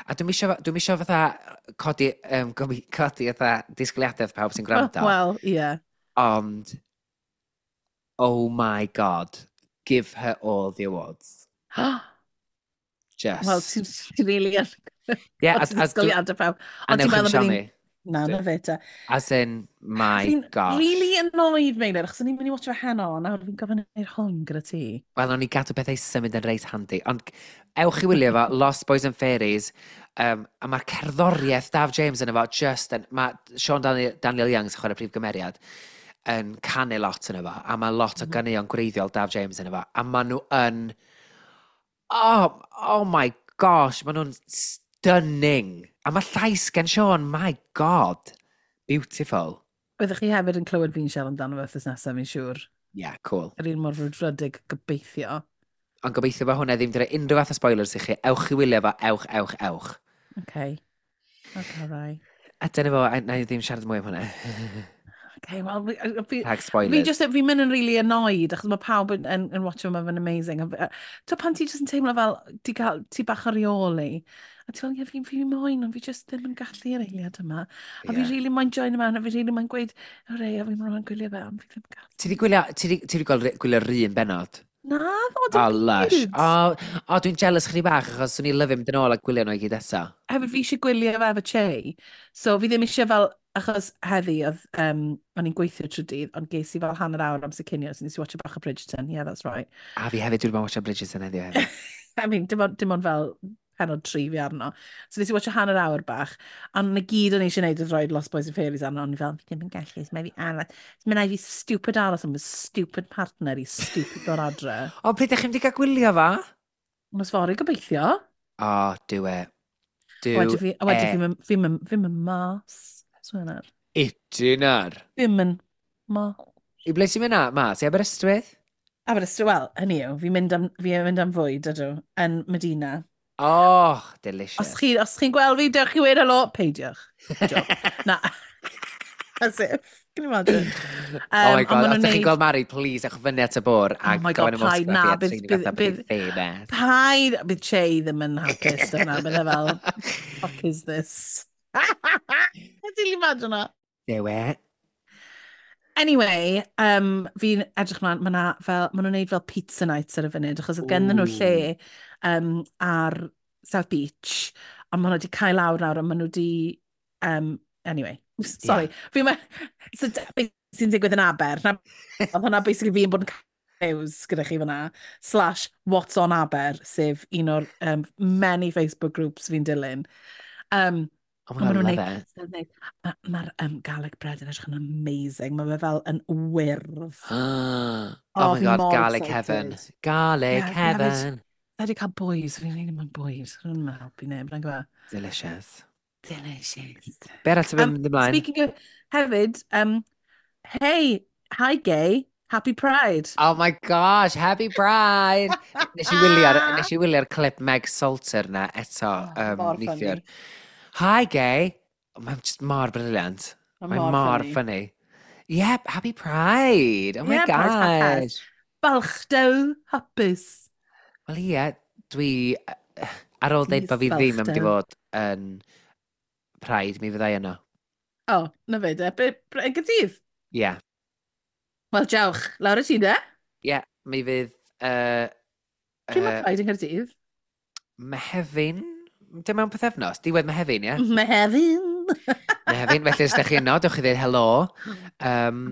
[SPEAKER 1] a dwi'm isio, dwi'm isio fatha codi, um, codi fatha disgwyliadau pawb sy'n gwrando.
[SPEAKER 2] Well, yeah.
[SPEAKER 1] Ond, oh my God, give her all the awards. Just.
[SPEAKER 2] Wel, ti'n really yn...
[SPEAKER 1] Yeah,
[SPEAKER 2] as, as, disgwyliadau pawb.
[SPEAKER 1] A newch chi'n siomi.
[SPEAKER 2] Na, na fe te.
[SPEAKER 1] As in, my
[SPEAKER 2] fi'n
[SPEAKER 1] gosh.
[SPEAKER 2] Really annoyed, Meilir, achos o'n i'n mynd i watch fe heno, a nawr fi'n gofyn i'r hwn gyda ti.
[SPEAKER 1] Wel, o'n i gadw bethau symud yn reit handi. Ond ewch i wylio fo, Lost Boys and Fairies, um, a mae'r cerddoriaeth Daf James yn efo, just, yn, mae Sean Daniel, Daniel Young sy'n chwarae prif gymeriad, yn canu lot yn efo, a mae lot o mm. ganeuon gwreiddiol Daf James yn efo, a maen nhw yn, oh, oh my gosh, maen nhw'n stunning. A mae llais gen Sean, my God, beautiful.
[SPEAKER 2] Byddwch chi hefyd yn clywed fi'n siarad amdano fe wythnos nesaf, fi'n siŵr.
[SPEAKER 1] Yeah, cool.
[SPEAKER 2] Yr un mor frwdfrydig, gobeithio.
[SPEAKER 1] Ond gobeithio bod hwnna ddim wedi rhoi unrhyw fath o spoilers i chi. Ewch i wylio fo, ewch, ewch, ewch.
[SPEAKER 2] Okay. Okay, right.
[SPEAKER 1] A dyna fo, a na i ddim siarad mwy am hwnna.
[SPEAKER 2] Okay, well, fi, fi,
[SPEAKER 1] Rhag spoilers.
[SPEAKER 2] Fi just, fi'n mynd yn really annoyed, achos mae pawb yn, yn, yn watcho mae fe'n amazing. A, to pan ti just yn teimlo fel, ti, gael, ti bach ar ôl i, a ti fel, ie, fi, fi moyn, ond fi just ddim yn gallu yr eiliad yma. A yeah. fi really moyn join yma, a fi really moyn gweud, o rei, a fi'n moyn gwylio fe, ond fi ddim yn gallu.
[SPEAKER 1] Ti di gwylio, ti di, ti di gweld, gwylio'r un benod?
[SPEAKER 2] Na, ddo, dim
[SPEAKER 1] oh, lush. O, oh, oh, dwi'n jealous chdi bach, achos swn i'n lyfio mynd yn ôl a gwylio nhw i gyd eto.
[SPEAKER 2] Hefyd fi eisiau gwylio fe efo Che. So fi ddim eisiau fel, achos heddi oedd, um, o'n i'n gweithio trwy dydd, ond ges i fel hanner awr amser cinio, so nes i watcha bach o Bridgerton. Yeah, that's right.
[SPEAKER 1] A fi hefyd, dwi'n watcha Bridgerton heddiw hefyd.
[SPEAKER 2] I mean, dim ond, dim ond fel penod tri fi arno. So nes i watcha hanner awr bach, a na gyd o'n i eisiau gwneud oedd rhoi Lost Boys and Fairies arno, o'n i fel, fi ddim yn gallu, mae fi aros. Mae'n rhaid fi stupid aros am fy stupid partner i stupid dod adre.
[SPEAKER 1] O, pryd ydych chi'n mynd i gael gwylio fa?
[SPEAKER 2] Nos fory gobeithio.
[SPEAKER 1] O, do it. Do
[SPEAKER 2] Wedyn fi, a wedyn
[SPEAKER 1] it.
[SPEAKER 2] fi'n mynd fi mynd mas. Swenar.
[SPEAKER 1] Itinar.
[SPEAKER 2] Fi'n mynd mas.
[SPEAKER 1] I ble ti'n mynd na? Mas? I Aberystwyth?
[SPEAKER 2] Aberystwyth, wel, hynny yw, fi'n mynd am, fi mynd am fwyd, ydw, yn Medina.
[SPEAKER 1] Oh, delicious.
[SPEAKER 2] Os chi'n os chi gweld fi, dewch chi weud helo, peidiwch. Joke. Na. As if. Can you imagine?
[SPEAKER 1] Um, oh my God, os ydych chi'n gweld Mari, please, ewch fyny at y bwr
[SPEAKER 2] Oh my God, paid na, bydd, bydd, bydd, paid, bydd Che ddim yn hapus dyna, bydd e fel, fuck is this? Can you imagine that?
[SPEAKER 1] Do it.
[SPEAKER 2] Anyway, um, fi'n edrych mlaen, ma' na fel, ma' nhw'n neud fel pizza nights ar y funud, achos oedd gennym nhw lle um, ar South Beach, ond maen nhw wedi cael lawr nawr, a maen nhw wedi... Um, anyway, sorry. Yeah. Fi'n ma... So, beth sy'n digwydd yn Aber, na, oedd hwnna basically fi'n bod yn news gyda chi fyna, slash What's on Aber, sef un o'r um, many Facebook groups fi'n dilyn. Um,
[SPEAKER 1] Oh my God, love it.
[SPEAKER 2] Mae'r ma um, garlic bread yn edrych yn amazing. Mae fe fel yn wyrdd.
[SPEAKER 1] Oh, oh my God, garlic heaven. Garlic yeah, heaven.
[SPEAKER 2] Fi wedi cael bwyd. Fi'n rili moyn bwyd. Rwy'n mynd helpu neb, na'n gwybod.
[SPEAKER 1] Delicious.
[SPEAKER 2] Delicious.
[SPEAKER 1] Be arall ti'n mynd ymlaen?
[SPEAKER 2] Speaking of, hefyd, um, hey, hi gay, happy Pride.
[SPEAKER 1] Oh my gosh, happy Pride. Nes i wylio'r, nes i wylio'r clip Meg Salter na eto oh, um, neithiwr. Hi, gay. Mae'n just mor brilliant. Mae'n mor, mor funny. funny. Yep, happy Pride. Oh my yeah, gosh.
[SPEAKER 2] Balchdew, hapus.
[SPEAKER 1] Wel ie, dwi... Ar ôl deud bod fi ddim am di fod yn Pride, mi fyddai yno.
[SPEAKER 2] O, oh, na fe de. Yn Gaerdydd?
[SPEAKER 1] Ie. Yeah.
[SPEAKER 2] Wel, diolch. Lawr y ti de?
[SPEAKER 1] Ie, yeah, mi fydd... Uh,
[SPEAKER 2] Pryd mae Pride yn Gaerdydd?
[SPEAKER 1] Mehefin? dim mewn pythefnos, diwedd Mehefin, ie?
[SPEAKER 2] Mehefin!
[SPEAKER 1] Mehefin, felly os ydych chi yno, dewch i ddweud helo. Um,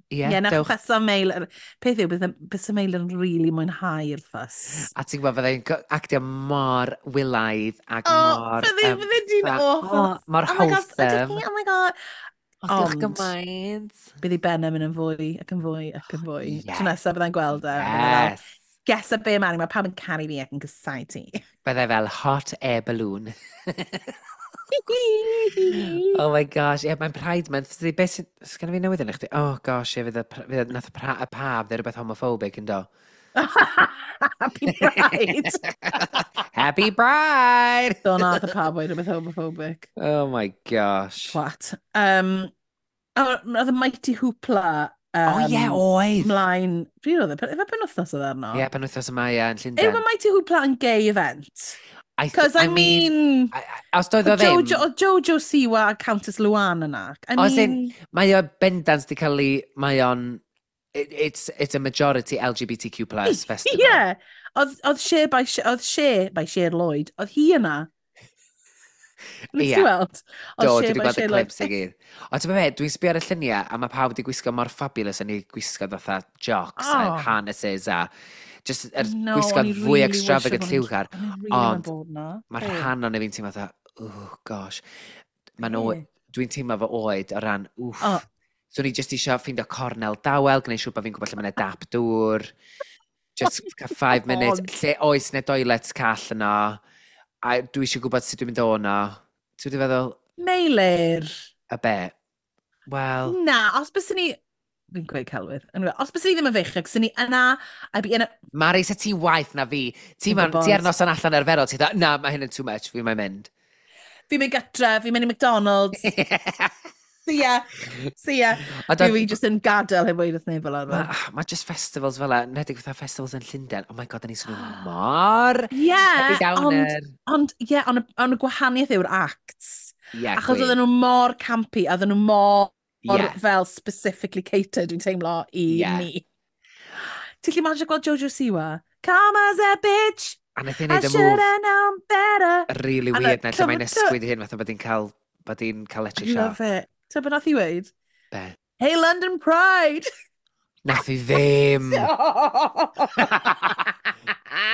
[SPEAKER 2] Ie, yeah, yeah, dewch... Fysa Meilir, peth yw, bysa Meilir yn really mwynhau'r ffys.
[SPEAKER 1] A ti'n gwybod, fyddai'n actio mor wylaidd ac oh, mor...
[SPEAKER 2] Fydde, um, fydde di'n awful.
[SPEAKER 1] Oh, mor oh wholesome.
[SPEAKER 2] Oh my god.
[SPEAKER 1] Oh, diolch gymaint.
[SPEAKER 2] Bydd ei ben yn mynd yn fwy ac yn fwy ac yn fwy.
[SPEAKER 1] Yes.
[SPEAKER 2] Tro nesaf byddai'n gweld e.
[SPEAKER 1] Yes.
[SPEAKER 2] Guess a be, Mari, mae pawb yn caru fi ac yn gysau ti.
[SPEAKER 1] Byddai fel hot air balloon. Oh my gosh, ie, yeah, mae'n Pride Month. Beth sy'n... Sgan fi newydd yn eich di? Oh gosh, ie, fydd y, fydd nath y, pra, y pab ddeud rhywbeth homophobic yn do.
[SPEAKER 2] Happy Pride!
[SPEAKER 1] Happy Pride!
[SPEAKER 2] Do, nath y pab weud rhywbeth homophobic.
[SPEAKER 1] Oh my gosh.
[SPEAKER 2] Twat. Um, oh, oedd y Mighty Hoopla
[SPEAKER 1] um, oh ie, yeah, oedd.
[SPEAKER 2] Mlaen, pryd oedd e? Efe penwythnos oedd arno?
[SPEAKER 1] Ie, yeah, penwythnos yma, ie, yn Llundain.
[SPEAKER 2] Yw y Mighty Hoopla yn gay event?
[SPEAKER 1] Because
[SPEAKER 2] I, I mean...
[SPEAKER 1] I, I, os doedd o ddim...
[SPEAKER 2] Jojo, oedd Jojo Siwa a Countess Luan yna. I
[SPEAKER 1] mean... In, mae o bendant di cael ei... Mae o'n... It, it's, it's a majority L G B T Q plus festival.
[SPEAKER 2] Yeah. Oedd, oedd Cher by, oedd Cher by Cher Lloyd, oedd hi yna. Nes ti weld?
[SPEAKER 1] Do, dwi wedi gweld y clips i gyd. Ond ti'n meddwl, dwi'n sbio ar y lluniau a mae pawb wedi gwisgo mor fabulous yn ei gwisgo fatha jocks oh. a harnesses a just yr
[SPEAKER 2] no,
[SPEAKER 1] gwisgo
[SPEAKER 2] really
[SPEAKER 1] fwy extravagant lliwgar.
[SPEAKER 2] Really
[SPEAKER 1] Ond
[SPEAKER 2] mae'r
[SPEAKER 1] rhan o'n i fi'n teimlo fatha, oh gosh. Ma nhw, dwi'n teimlo fo oed o ran, wff.
[SPEAKER 2] Oh.
[SPEAKER 1] So ni jyst eisiau ffeindio cornel dawel, gwneud siŵr bod fi'n gwybod lle mae'n dap dŵr. Just cael five minutes. Lle oes neu toilets call yno. A dwi eisiau gwybod sut dwi'n mynd o yno. Ti'n wedi feddwl...
[SPEAKER 2] Meilir.
[SPEAKER 1] A be? Wel...
[SPEAKER 2] Na, os bys ni... Fi'n gweud celwydd. Anyway, os bys ni ddim yn feichiog, sy'n ni yna... I'd be in a...
[SPEAKER 1] Mari, sa ti waith na fi. Ti, man, ti ar noson allan arferol, ti'n dweud, na, mae hyn yn too much, fi'n mae'n mynd.
[SPEAKER 2] Fi'n mynd gatre, fi'n mynd i McDonald's. See ya. See ya. Dwi just yn gadael heb weud wrth neb fel arfer.
[SPEAKER 1] Mae ma just festivals fel e, nedig fatha festivals yn Llundain. Oh my god, da ni'n swnio mor...
[SPEAKER 2] Yeah, ond, ond, yeah, ond, ond y gwahaniaeth yw'r acts.
[SPEAKER 1] Yeah,
[SPEAKER 2] achos oedden nhw mor campy, oedden nhw mor
[SPEAKER 1] yeah.
[SPEAKER 2] fel specifically catered, dwi'n teimlo, i
[SPEAKER 1] yeah.
[SPEAKER 2] ni. Ti'n gallu imagine gweld Jojo Siwa? Come as a bitch!
[SPEAKER 1] A nath i wneud
[SPEAKER 2] I
[SPEAKER 1] y move
[SPEAKER 2] should have known better.
[SPEAKER 1] really weird na, lle mae'n ysgwyd i hyn, fatha bod hi'n cael, bod hi'n cael electric shock.
[SPEAKER 2] Love it. Ti'n beth nath i weud?
[SPEAKER 1] Be?
[SPEAKER 2] Hey, London Pride!
[SPEAKER 1] Nath i ddim!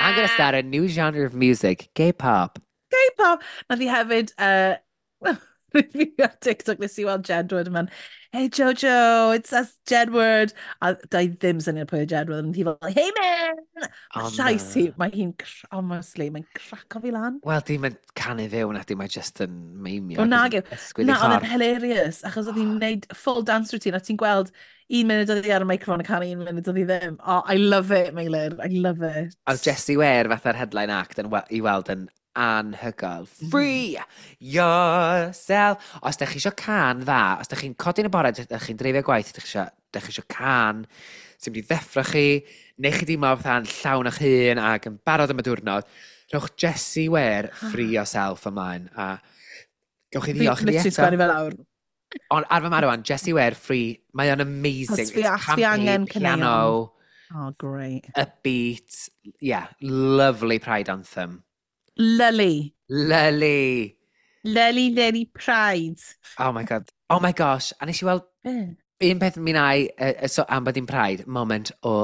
[SPEAKER 1] I'm gonna start a new genre of music, gay pop.
[SPEAKER 2] Gay pop! Nath i hefyd, uh, fi ar TikTok nes i weld Jedward yn mynd, hey Jojo, it's us Jedward. A da i ddim syniad pwy o Jedward, ond hi fel, hey man!
[SPEAKER 1] Oh,
[SPEAKER 2] Llais hi, mae hi'n, honestly, mae'n craco fi lan.
[SPEAKER 1] Wel, dim yn canu fyw na di, mae just yn meimio.
[SPEAKER 2] O, nag yw. Na, oedd yn hilarious, achos oedd hi'n neud full dance routine, a ti'n gweld un munud oedd hi ar y microphone a canu, un munud oedd hi ddim. Oh, I love it, Meilir, I love it.
[SPEAKER 1] Oedd Jessie Ware fatha'r headline act yn i weld yn anhygoel. Free yourself. Os da chi eisiau can dda, os da chi'n codi yn y bore, da chi'n dreifio gwaith, da chi eisiau, da chi eisiau can sy'n mynd i ddeffro chi, neu chi deimlo fatha'n llawn o'ch hun ac yn barod am y diwrnod, rhowch Jessie Ware Free Yourself ymlaen a gewch chi ddiolch i fi
[SPEAKER 2] eto. Fi fel awr.
[SPEAKER 1] Ond ar fy marw an, Jessie Ware Free, mae o'n amazing.
[SPEAKER 2] Os fi,
[SPEAKER 1] It's
[SPEAKER 2] fi angen
[SPEAKER 1] campy, piano,
[SPEAKER 2] Oh, great.
[SPEAKER 1] Upbeat, yeah, lovely Pride anthem.
[SPEAKER 2] Lily.
[SPEAKER 1] Lily.
[SPEAKER 2] Lily, Lily Pride.
[SPEAKER 1] Oh my god. Oh my gosh. A nes i weld un peth mi nai, uh, so, am bod hi'n Pride, moment o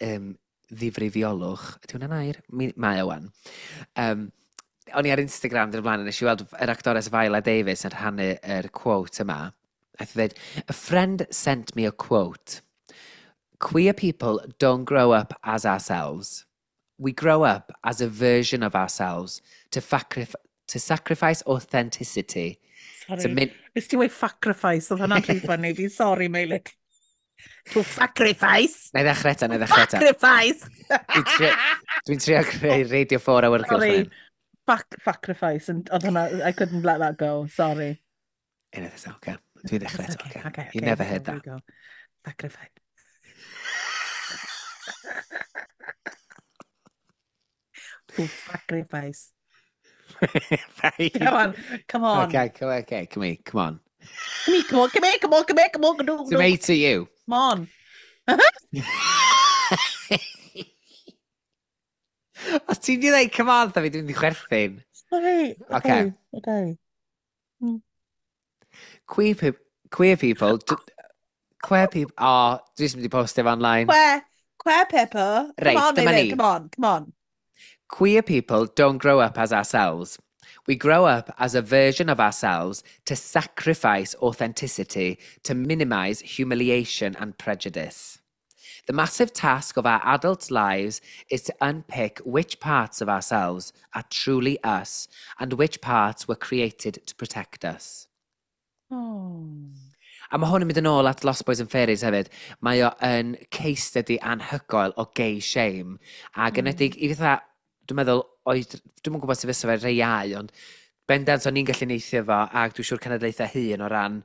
[SPEAKER 1] um, ddifrifiolwch. Ydy hwnna'n air? Mi, mae o wan. Um, o'n i ar Instagram dyn blaen, a nes i weld yr actores Viola Davis yn rhannu yr quote yma. A dweud, a friend sent me a quote. Queer people don't grow up as ourselves. We grow up as a version of ourselves to, facrif to sacrifice authenticity.
[SPEAKER 2] Sorry.
[SPEAKER 1] To min
[SPEAKER 2] Nes ti weud sacrifice, oedd hwnna'n rhy funny fi. Sorry, Meilir. To sacrifice.
[SPEAKER 1] Na i ddechrau eto, na i ddechrau eto.
[SPEAKER 2] Sacrifice!
[SPEAKER 1] Dwi'n trio, dwi'n trio creu Radio four awyrgylch
[SPEAKER 2] Sorry.
[SPEAKER 1] fan hyn.
[SPEAKER 2] Fac sacrifice, and oedd hwnna, I couldn't let that go, sorry.
[SPEAKER 1] Unwaith eto, oce. Dwi'n ddechrau eto,
[SPEAKER 2] Okay,
[SPEAKER 1] oce.
[SPEAKER 2] okay,
[SPEAKER 1] You
[SPEAKER 2] okay,
[SPEAKER 1] never
[SPEAKER 2] here
[SPEAKER 1] heard
[SPEAKER 2] we
[SPEAKER 1] that.
[SPEAKER 2] go. Sacrifice. To sacrifice. Come on, come on.
[SPEAKER 1] Okay, come, okay, come here, come on.
[SPEAKER 2] Come here, come on, come here, come on, come here, come on, come on.
[SPEAKER 1] To me, to you.
[SPEAKER 2] Come on.
[SPEAKER 1] Os ti'n di dweud come on, dda fi, dwi'n di chwerthin.
[SPEAKER 2] Okay,
[SPEAKER 1] Okay.
[SPEAKER 2] okay, okay. Mm.
[SPEAKER 1] Queer, pe queer people... Queer people... Oh, dwi jyst mynd i postio fo online.
[SPEAKER 2] Queer, queer people. Come
[SPEAKER 1] Reit,
[SPEAKER 2] on,
[SPEAKER 1] dyma
[SPEAKER 2] Meilir,
[SPEAKER 1] ni.
[SPEAKER 2] come on, come on.
[SPEAKER 1] Queer people don't grow up as ourselves. We grow up as a version of ourselves to sacrifice authenticity to minimise humiliation and prejudice. The massive task of our adult lives is to unpick which parts of ourselves are truly us and which parts were created to protect us.
[SPEAKER 2] Oh.
[SPEAKER 1] A mae hwn yn mynd yn ôl at Lost Boys and Fairies hefyd. Mae o yn case study anhygoel o gay shame. Ac yn
[SPEAKER 2] Mm.
[SPEAKER 1] enwedig i fatha, dwi'n meddwl, oed, dwi'm yn gwybod sut fysa fe rei iau, ond bendant o'n i'n gallu uniaethu fo, ac dwi'n siŵr cenedlaethau hŷn o ran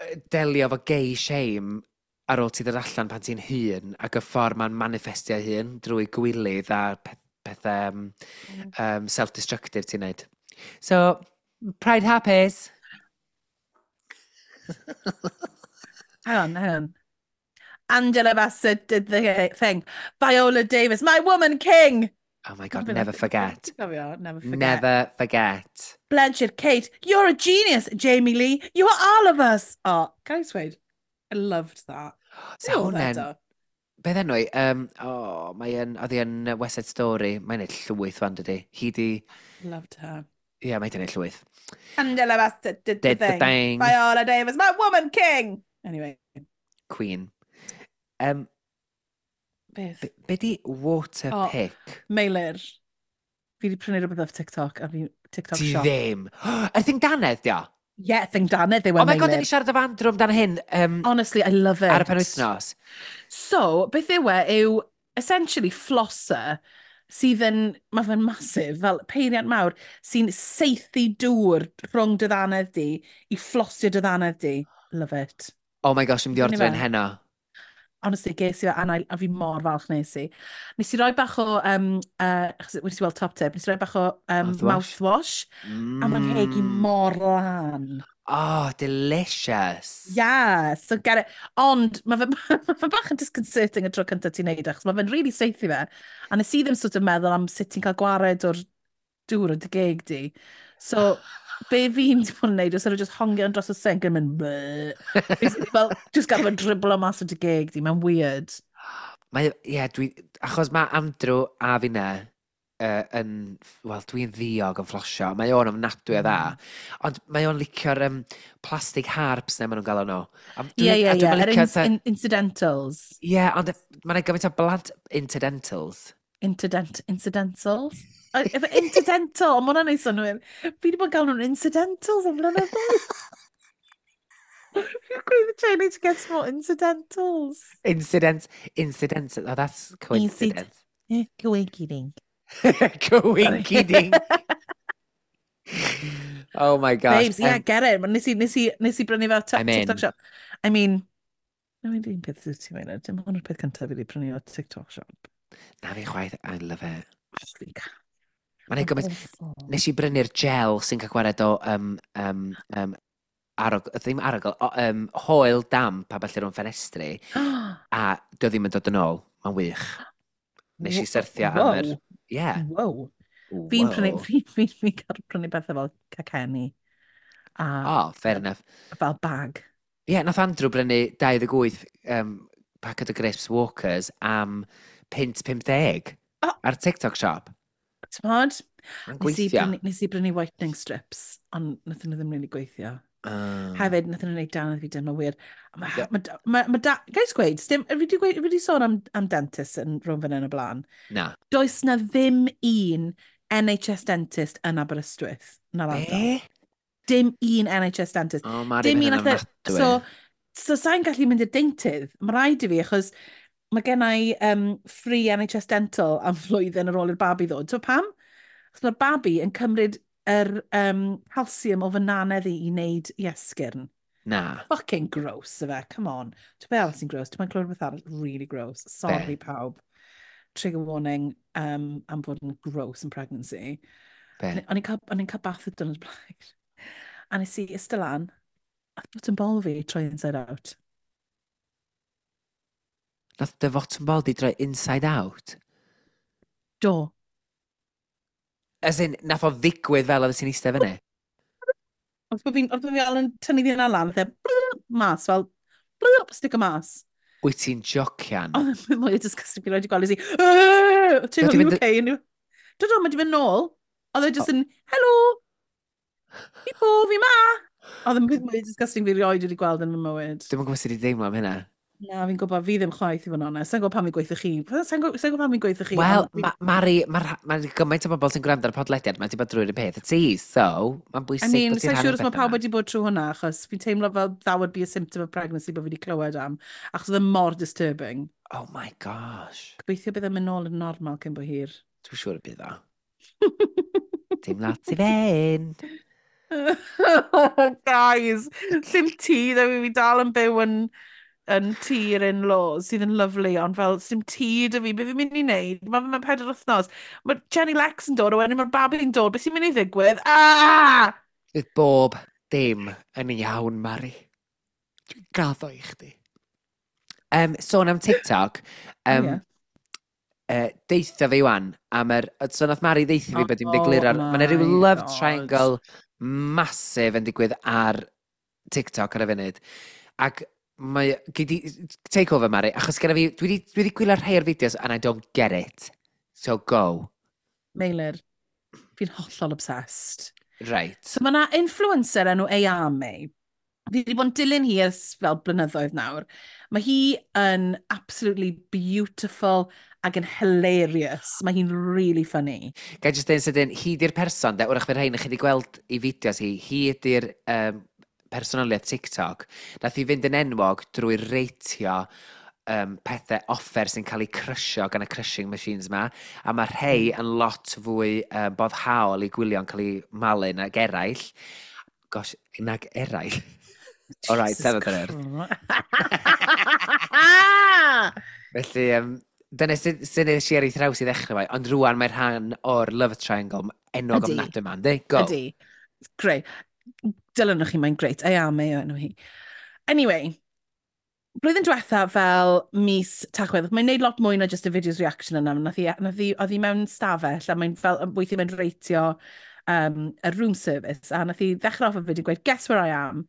[SPEAKER 1] yy, delio efo gay shame ar ôl ti ddod allan pan ti'n hŷn, ac y ffordd mae'n manifestio ei hun drwy gwilydd a peth, pethau um,
[SPEAKER 2] Mm.
[SPEAKER 1] um, self-destructive ti'n neud. So, Pride hapus!
[SPEAKER 2] Hang on, hang on. Angela Bassett did the thing. Viola Davis, my woman king!
[SPEAKER 1] Oh my God, never forget.
[SPEAKER 2] Cofio, never forget.
[SPEAKER 1] Never forget.
[SPEAKER 2] Blanchett, Kate, you're a genius. Jamie Lee, you are all of us. Oh, can I swear? I loved that.
[SPEAKER 1] So
[SPEAKER 2] Be oedd e
[SPEAKER 1] hwnna'n...
[SPEAKER 2] eto?
[SPEAKER 1] Beth enw i? Um, oh, mae yn, oedd hi yn West Side Story. Mae'n neud llwyth fan, dydi. Hi di...
[SPEAKER 2] Loved her.
[SPEAKER 1] Ie, yeah, mae di neud llwyth.
[SPEAKER 2] Angela Bassett did the
[SPEAKER 1] Did the
[SPEAKER 2] thing.
[SPEAKER 1] thing.
[SPEAKER 2] Viola Davis, my woman king! Anyway,
[SPEAKER 1] Queen. Um,
[SPEAKER 2] beth?
[SPEAKER 1] be, be di water
[SPEAKER 2] Oh,
[SPEAKER 1] pick?
[SPEAKER 2] Meilir. Fi wedi prynu rhywbeth off TikTok, a fi TikTok
[SPEAKER 1] Ti
[SPEAKER 2] shop.
[SPEAKER 1] ddim. Y thing dannedd, dio?
[SPEAKER 2] Yeah, thing dannedd, they
[SPEAKER 1] Oh
[SPEAKER 2] were
[SPEAKER 1] my God,
[SPEAKER 2] Meilir.
[SPEAKER 1] dyn ni siarad efo Andrew amdano hyn um,
[SPEAKER 2] Honestly, I love it.
[SPEAKER 1] ar y penwythnos.
[SPEAKER 2] So, beth yw e yw essentially flosser sydd yn, mae fe'n massive, fel peiriant mawr, sy'n saethu dŵr rhwng dy ddannedd di i fflosio dy ddannedd di. Love it.
[SPEAKER 1] Oh my gosh, dwi'n mynd i
[SPEAKER 2] Prynu
[SPEAKER 1] ordro un
[SPEAKER 2] fe.
[SPEAKER 1] heno.
[SPEAKER 2] Honestly, ges i fe, and I, a fi mor falch nes i. Nes i roi bach o, um, uh, achos wedi weld top tip, nes i roi bach o um,
[SPEAKER 1] Mouthwash.
[SPEAKER 2] mouthwash, a mae'n hegi
[SPEAKER 1] Mm.
[SPEAKER 2] mor lan.
[SPEAKER 1] Oh, delicious.
[SPEAKER 2] Yeah, so get it. Ond mae fe, ma fe bach yn disconcerting y tro cyntaf ti'n neud, achos mae fe'n really saethu fe. A nes i ddim sort of meddwl am sut ti'n cael gwared o'r dŵr o dy geg di. So, be fi'n di bod yn neud yw sort of just hongian dros y sink yn mynd bleh. Basically, fel, just gael fe driblo mas o dy geg di. Mae'n weird.
[SPEAKER 1] Mae, ie, yeah, dwi, achos mae Andrew a finne uh, yn, wel, dwi'n ddiog yn fflosio. Mae o'n ofnadwy o dda.
[SPEAKER 2] Mm.
[SPEAKER 1] Ond mae o'n licio'r um, plastic harps na maen nhw'n gael nhw.
[SPEAKER 2] Ie, ie,
[SPEAKER 1] A
[SPEAKER 2] ie.
[SPEAKER 1] dwi'n
[SPEAKER 2] Yr
[SPEAKER 1] licio...
[SPEAKER 2] ins in incidentals.
[SPEAKER 1] Ie, ond mae'n gymaint o blant interdentals.
[SPEAKER 2] Interdent, incidentals? Uh, Efo interdental, ond ma' hwnna'n neud synnwyr. Fi wedi bod yn gael nhw'n incidentals am blynyddoedd. Fi'n gweud the Chinese gets more incidentals.
[SPEAKER 1] Incident, incident, oh, that's coincidence.
[SPEAKER 2] Coinky dink.
[SPEAKER 1] Coinky dink. Oh my gosh.
[SPEAKER 2] Babes, yeah,
[SPEAKER 1] Um,
[SPEAKER 2] get it. Ma- Nes i, nes i, nes i brynu fel
[SPEAKER 1] I'm in.
[SPEAKER 2] TikTok shop. I mean, no, un peth wyt ti'n meddwl. Dim hwn yw'r peth cyntaf fi wedi prynu o TikTok shop.
[SPEAKER 1] Na fi chwaith, I love it.
[SPEAKER 2] Oh, fi'n cael.
[SPEAKER 1] Mae'n ei gymaint. Nes i brynu'r gel sy'n cael gwared o um, um, um, arog, ddim arogl, o, um, hoel damp a ballu rhwng ffenestri, a dio ddim yn dod yn ôl. Mae'n wych. Nes i syrthio am yr... Yeah.
[SPEAKER 2] Wow. Fi'n prynu,
[SPEAKER 1] Wow.
[SPEAKER 2] fi'n fi, fi cael prynu pethau fel cacenni. A
[SPEAKER 1] Oh, fair enough.
[SPEAKER 2] fel bag.
[SPEAKER 1] Ie, yeah, nath Andrew brynu dau ddeg wyth um, packet o crisps Walkers am punt pump deg
[SPEAKER 2] Oh.
[SPEAKER 1] ar TikTok shop.
[SPEAKER 2] T'mod?
[SPEAKER 1] Mae'n
[SPEAKER 2] Nes i
[SPEAKER 1] gweithio.
[SPEAKER 2] brynu, nes i brynu whitening strips, ond nathon nhw ddim really gweithio.
[SPEAKER 1] Oh.
[SPEAKER 2] Hefyd, nathon nhw wneud dannedd fi dim wir. Ma,
[SPEAKER 1] Ie.
[SPEAKER 2] ma, ma, ma da, guys gweud, dim, fi wedi gweud, fi wedi sôn am, am dentist yn rhwng fan hyn o blaen.
[SPEAKER 1] Na.
[SPEAKER 2] Does na ddim un N H S dentist yn Aberystwyth. Na'r ardal.
[SPEAKER 1] Be?
[SPEAKER 2] Dim un N H S dentist.
[SPEAKER 1] O, Mari,
[SPEAKER 2] Dim
[SPEAKER 1] mae
[SPEAKER 2] un
[SPEAKER 1] hynna'n
[SPEAKER 2] athe-
[SPEAKER 1] ofnadwy.
[SPEAKER 2] So, so sa'n gallu mynd i'r deintydd. Mae rhaid i fi, achos mae gen i um, free N H S dental am flwyddyn ar ôl i'r babi ddod. So pam? Achos mae'r babi yn cymryd yr um, calcium o fy nannedd i i wneud i esgyrn.
[SPEAKER 1] Na.
[SPEAKER 2] Fucking gross, yfe, come on. Ti'n be arall sy'n gross? Ti'n clywed rhywbeth arall really gross? Sorry,
[SPEAKER 1] Be?
[SPEAKER 2] Pawb. Trigger warning um, am fod yn gross in pregnancy.
[SPEAKER 1] Be?
[SPEAKER 2] O'n i'n cael, o'n i'n cael bath y diwrnod blaen. A nes i iste lan, a bottom bol fi troi inside out.
[SPEAKER 1] Nath dy fottom bol di droi inside out?
[SPEAKER 2] Do.
[SPEAKER 1] As in, nath o ddigwydd fel oedd ti'n eistedd fyny?
[SPEAKER 2] Wrth bod fi'n wrth bod fi fel yn tynnu fi yna lan, oedd e mas, fel, stick o mas.
[SPEAKER 1] Wyt ti'n jocian?
[SPEAKER 2] Oedd e'n mwy o disgusting fi wedi gweld i si, ti'n
[SPEAKER 1] Dod i
[SPEAKER 2] you
[SPEAKER 1] fynd-
[SPEAKER 2] okay? And you- Do, do, mae di mynd nôl. Oedd e just yn, "Hello, fi bo, fi ma." Oedd e'n peth mwy disgusting fi rioed wedi gweld yn fy mywyd.
[SPEAKER 1] Dwi'm yn gwybod sut i deimlo am hynna.
[SPEAKER 2] Na, fi'n gwybod, fi ddim chwaith i fod yn onest. Sa'n gwybod pam fi'n gweithio chi. Sa'n gwybod sa'n gwybod pam fi'n gweithio chi.
[SPEAKER 1] Wel,
[SPEAKER 2] ond fi-
[SPEAKER 1] ma Mari, mae ma gymaint o bobl sy'n gwrando ar y podlediad, mae wedi bod drwy'r un peth y ti, so mae'n
[SPEAKER 2] I
[SPEAKER 1] bwysig
[SPEAKER 2] mean,
[SPEAKER 1] bod ti'n
[SPEAKER 2] sa'n
[SPEAKER 1] rhannu'r
[SPEAKER 2] siŵr os mae
[SPEAKER 1] beth
[SPEAKER 2] pawb
[SPEAKER 1] yma.
[SPEAKER 2] wedi bod trwy hwnna, achos fi'n teimlo fel that would be a symptom of pregnancy bod fi wedi clywed am, achos oedd e mor disturbing.
[SPEAKER 1] Oh my gosh.
[SPEAKER 2] Gobeithio bydd e'n mynd nôl yn normal cyn bo hir.
[SPEAKER 1] Dwi'n siŵr y bydd o. Dim lot i fynd.
[SPEAKER 2] Oh, guys, llym tŷ, dda fi dal yn byw yn, yn tŷ'r in-laws, sydd yn lovely, ond fel, sim tŷ da fi, be fi'n mynd i wneud? Mae fe mewn pedwar wythnos. Mae Jenny Lex yn dod, a wedyn mae'r babi'n dod, beth sy'n mynd i ddigwydd? Ah!
[SPEAKER 1] Bydd bob dim yn iawn, Mari. Dwi'n gaddo i chdi. Um, sôn am TikTok, um,
[SPEAKER 2] Ie.
[SPEAKER 1] uh, deitha fi wan am yr... So nath Mari ddeitha fi bod i'n
[SPEAKER 2] Oh
[SPEAKER 1] degluro. Mae yna rhyw
[SPEAKER 2] my
[SPEAKER 1] love
[SPEAKER 2] God.
[SPEAKER 1] triangle massive yn digwydd ar TikTok ar y funud. Ac mae... Gei di, take over, Mari, achos gyda fi... Dwi wedi dwi wedi gwylio rhai o'r fideos and I don't get it. So go.
[SPEAKER 2] Meilir, fi'n hollol obsessed.
[SPEAKER 1] Right.
[SPEAKER 2] So mae yna influencer enw Ayame. Fi wedi bod yn dilyn hi ers fel blynyddoedd nawr. Mae hi yn absolutely beautiful ac yn hilarious. Mae hi'n really funny.
[SPEAKER 1] Gai jyst dweud yn sydyn, hi di'r person, de, wrach fydd rhain chi wedi gweld i fideos hi, hi ydy'r um, personoliaeth TikTok. Nath hi fynd yn enwog drwy reitio um, pethau offer sy'n cael eu crysio gan y crushing machines ma. A mae rhai yn lot fwy um, boddhaol i gwylio'n cael eu malu nag eraill. Gosh, nag eraill. All right,
[SPEAKER 2] Jesus
[SPEAKER 1] seven on earth.
[SPEAKER 2] Christ.
[SPEAKER 1] Felly, um, dyna sydd sy nes i ar ei thraws i ddechrau fo, ond rwan mae rhan o'r love triangle enwog
[SPEAKER 2] Ydi.
[SPEAKER 1] ofnadwy yma, yndi? Go.
[SPEAKER 2] Ydy. Great. Dilynwch chi, mae'n great. Ayame yw enw hi. Anyway, blwyddyn diwetha fel mis Tachwedd, mae'n neud lot mwy na just y videos reaction yna. Nath hi, nath hi, oedd hi mewn stafell a mae'n fel, weithio mae'n reitio um, y room service a nath hi ddechrau off y fideo gweud, "Guess where I am?"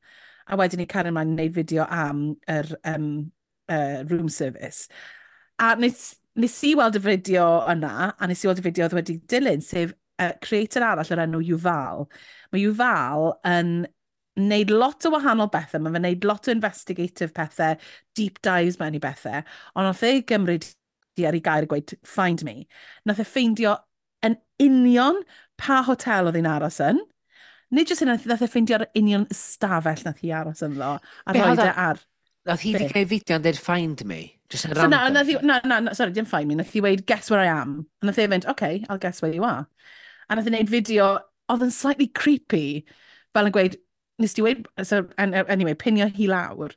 [SPEAKER 2] A wedyn ni cario ymlaen wneud fideo am yr um, uh, room service. A nes, nes i weld y fideo yna, a nes i weld y fideo oedd wedi dilyn, sef uh, creator arall o'r enw Yuval. Mae Yuval yn wneud lot o wahanol bethau, mae fe'n wneud lot o investigative pethau, deep dives mewn i bethau, ond nath e gymryd hi ar ei gair a gweud, "Find me." Nath e ffeindio yn union pa hotel oedd hi'n aros yn. Nid jyst hynna, nath e ffeindio'r union ystafell nath hi aros ynddo, a
[SPEAKER 1] Be,
[SPEAKER 2] rhoi
[SPEAKER 1] hold
[SPEAKER 2] e
[SPEAKER 1] on.
[SPEAKER 2] ar.
[SPEAKER 1] Nath hi wedi
[SPEAKER 2] Be?
[SPEAKER 1] gwneud fideo yn dweud "Find me"? Just yn
[SPEAKER 2] So na,
[SPEAKER 1] random.
[SPEAKER 2] nath hi, na, na, na, sorry, dim "Find me", nath hi weud, "Guess where I am." A nath e fynd, "Okay, I'll guess where you are." A nath hi wneud fideo, oedd yn slightly creepy, fel yn gweud, nes ti weud, so, and, anyway, pinio hi lawr.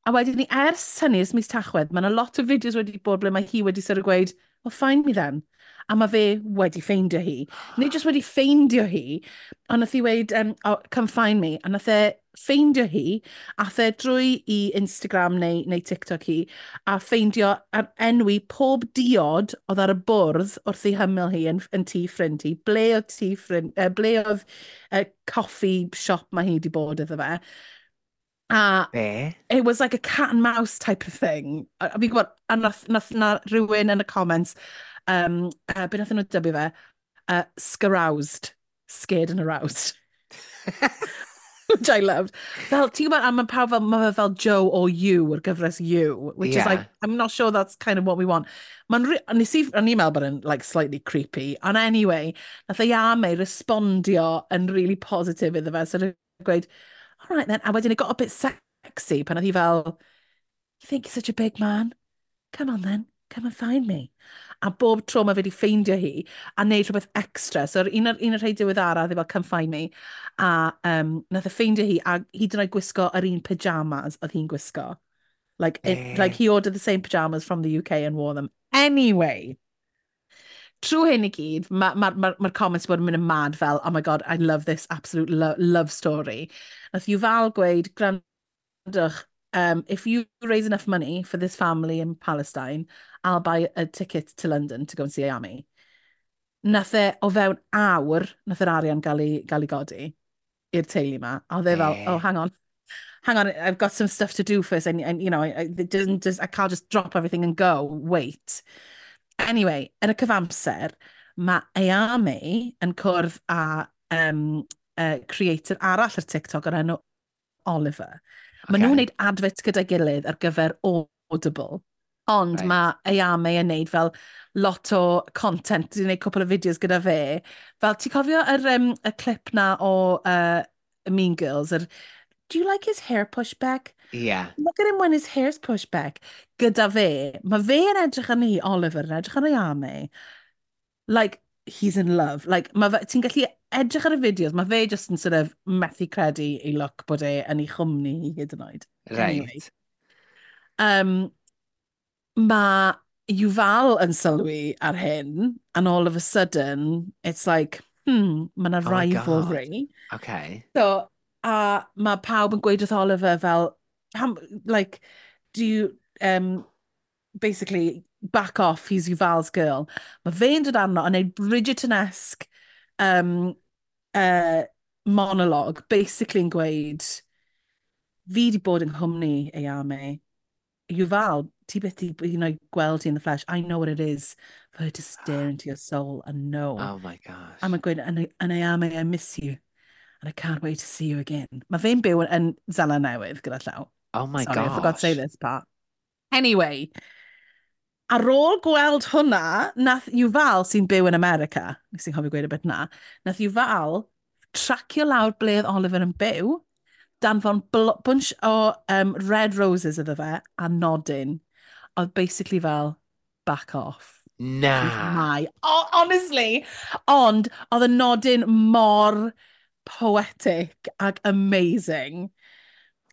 [SPEAKER 2] A wedyn ni, ers hynny, ers mis Tachwedd, mae yna lot o fideos wedi bod ble mae hi wedi sort of gweud, "Well, find me then." A mae fe wedi ffeindio hi. Nid jyst wedi ffeindio hi, ond nath hi weud, um, "Oh, come find me." A nath e ffeindio hi, ath e drwy i Instagram neu, neu TikTok hi, a ffeindio ar enwi pob diod oedd ar y bwrdd wrth ei hymyl hi yn, yn tŷ ffrind hi. Ble oedd tŷ ffrind, uh, ble oedd uh, coffee shop mae hi wedi bod iddo fe. A
[SPEAKER 1] Be?
[SPEAKER 2] it was like a cat and mouse type of thing. A, a fi'n gwybod, a nath, nath na rhywun yn y comments, um, uh, be nath nhw dybio fe? Uh, scaroused. Scared and aroused. Which I loved. Fel, ti'n gwybod, a mae pawb fel, mae fe fel Joe or You, o'r gyfres You, which is
[SPEAKER 1] Yeah.
[SPEAKER 2] like, I'm not sure that's kind of what we want. Mae'n, nes i, o'n i'n meddwl bod yn, like, slightly creepy. And anyway, nath Ayame respondio yn really positive iddo fe, so gweud, "All right then," a wedyn it got a bit sexy pan oedd hi fel, "You think you're such a big man? Come on then, come and find me." A bob tro mae fe wedi ffeindio hi a neud rhywbeth extra. So un o'r, un o'r rhai diweddara, oedd hi fel, "Come find me." A um, nath e ffeindio hi a hyd yn oed gwisgo yr un pyjamas oedd hi'n gwisgo. Like, it,
[SPEAKER 1] Be?
[SPEAKER 2] like he ordered the same pyjamas from the U K and wore them. Anyway, trwy hyn i gyd, mae'r ma, ma, ma comments bod yn mynd yn mad fel, "Oh my God, I love this absolute lo love story." Nath Yuval gweud, "Gwrandwch, um, if you raise enough money for this family in Palestine, I'll buy a ticket to London to go and see Ayame." Nath e o fewn awr, nath yr arian gael ei, gael ei godi i'r teulu yma. A oedd e fel, oh, hang on, hang on, I've got some stuff to do first, and, and you know, I, I, doesn't just, I can't just drop everything and go, wait. Anyway, yn y cyfamser, mae Ayame yn cwrdd â um, uh, creator arall ar TikTok o'r enw Oliver. Okay. Maen nhw'n gwneud advert gyda'i gilydd ar gyfer Audible. Ond right. mae Ayame yn neud fel lot o content, dwi'n gwneud cwpl o fideos gyda fe. Fel, ti'n cofio yr, um, y clip na o uh, Mean Girls, yr "Do you like his hair pushed back?"
[SPEAKER 1] Yeah.
[SPEAKER 2] "Look at him when his hair's pushed back." Gyda fe. Mae fe yn edrych arni, Oliver yn edrych ar Ayame. Like, he's in love. Like, ma fe, ti'n gallu edrych ar y fideos, mae fe just yn sort of methu credu ei lwc bod e yn ei chwmni hi hyd yn oed.
[SPEAKER 1] Right. Anyway,
[SPEAKER 2] um, mae Yuval yn sylwi ar hyn, and all of a sudden, it's like, hmm, mae yna oh rivalry.
[SPEAKER 1] Okay.
[SPEAKER 2] So, a mae pawb yn gweud wrth Oliver fel, pam, like, do you, um, basically, back off, he's Yuval's girl. Mae fe'n dod arno yn neud Bridgerton-esque um, uh, monologue, basically yn gweud, "Fi di bod yng nghwmni Ayame. Yuval, ti byth di you know, gweld hi in the flesh. I know what it is for her to stare into your soul and know."
[SPEAKER 1] Oh my gosh.
[SPEAKER 2] A mae'n gweud, and, and "Ayame, I miss you. And I can't wait to see you again." Mae fe'n byw yn Seland Newydd gyda llaw.
[SPEAKER 1] Oh my
[SPEAKER 2] Sorry,
[SPEAKER 1] gosh.
[SPEAKER 2] I forgot to say this part. Anyway, ar ôl gweld hwnna, nath Yuval sy'n byw yn America, nes i'n cofio gweud y bit na, nath Yuval tracio lawr ble oedd Oliver yn byw, danfon bunch o um, red roses iddo fe a nodyn. Oedd basically fel, "Back off."
[SPEAKER 1] Na.
[SPEAKER 2] My. Oh, honestly. Ond oedd y nodyn mor poetic ac amazing.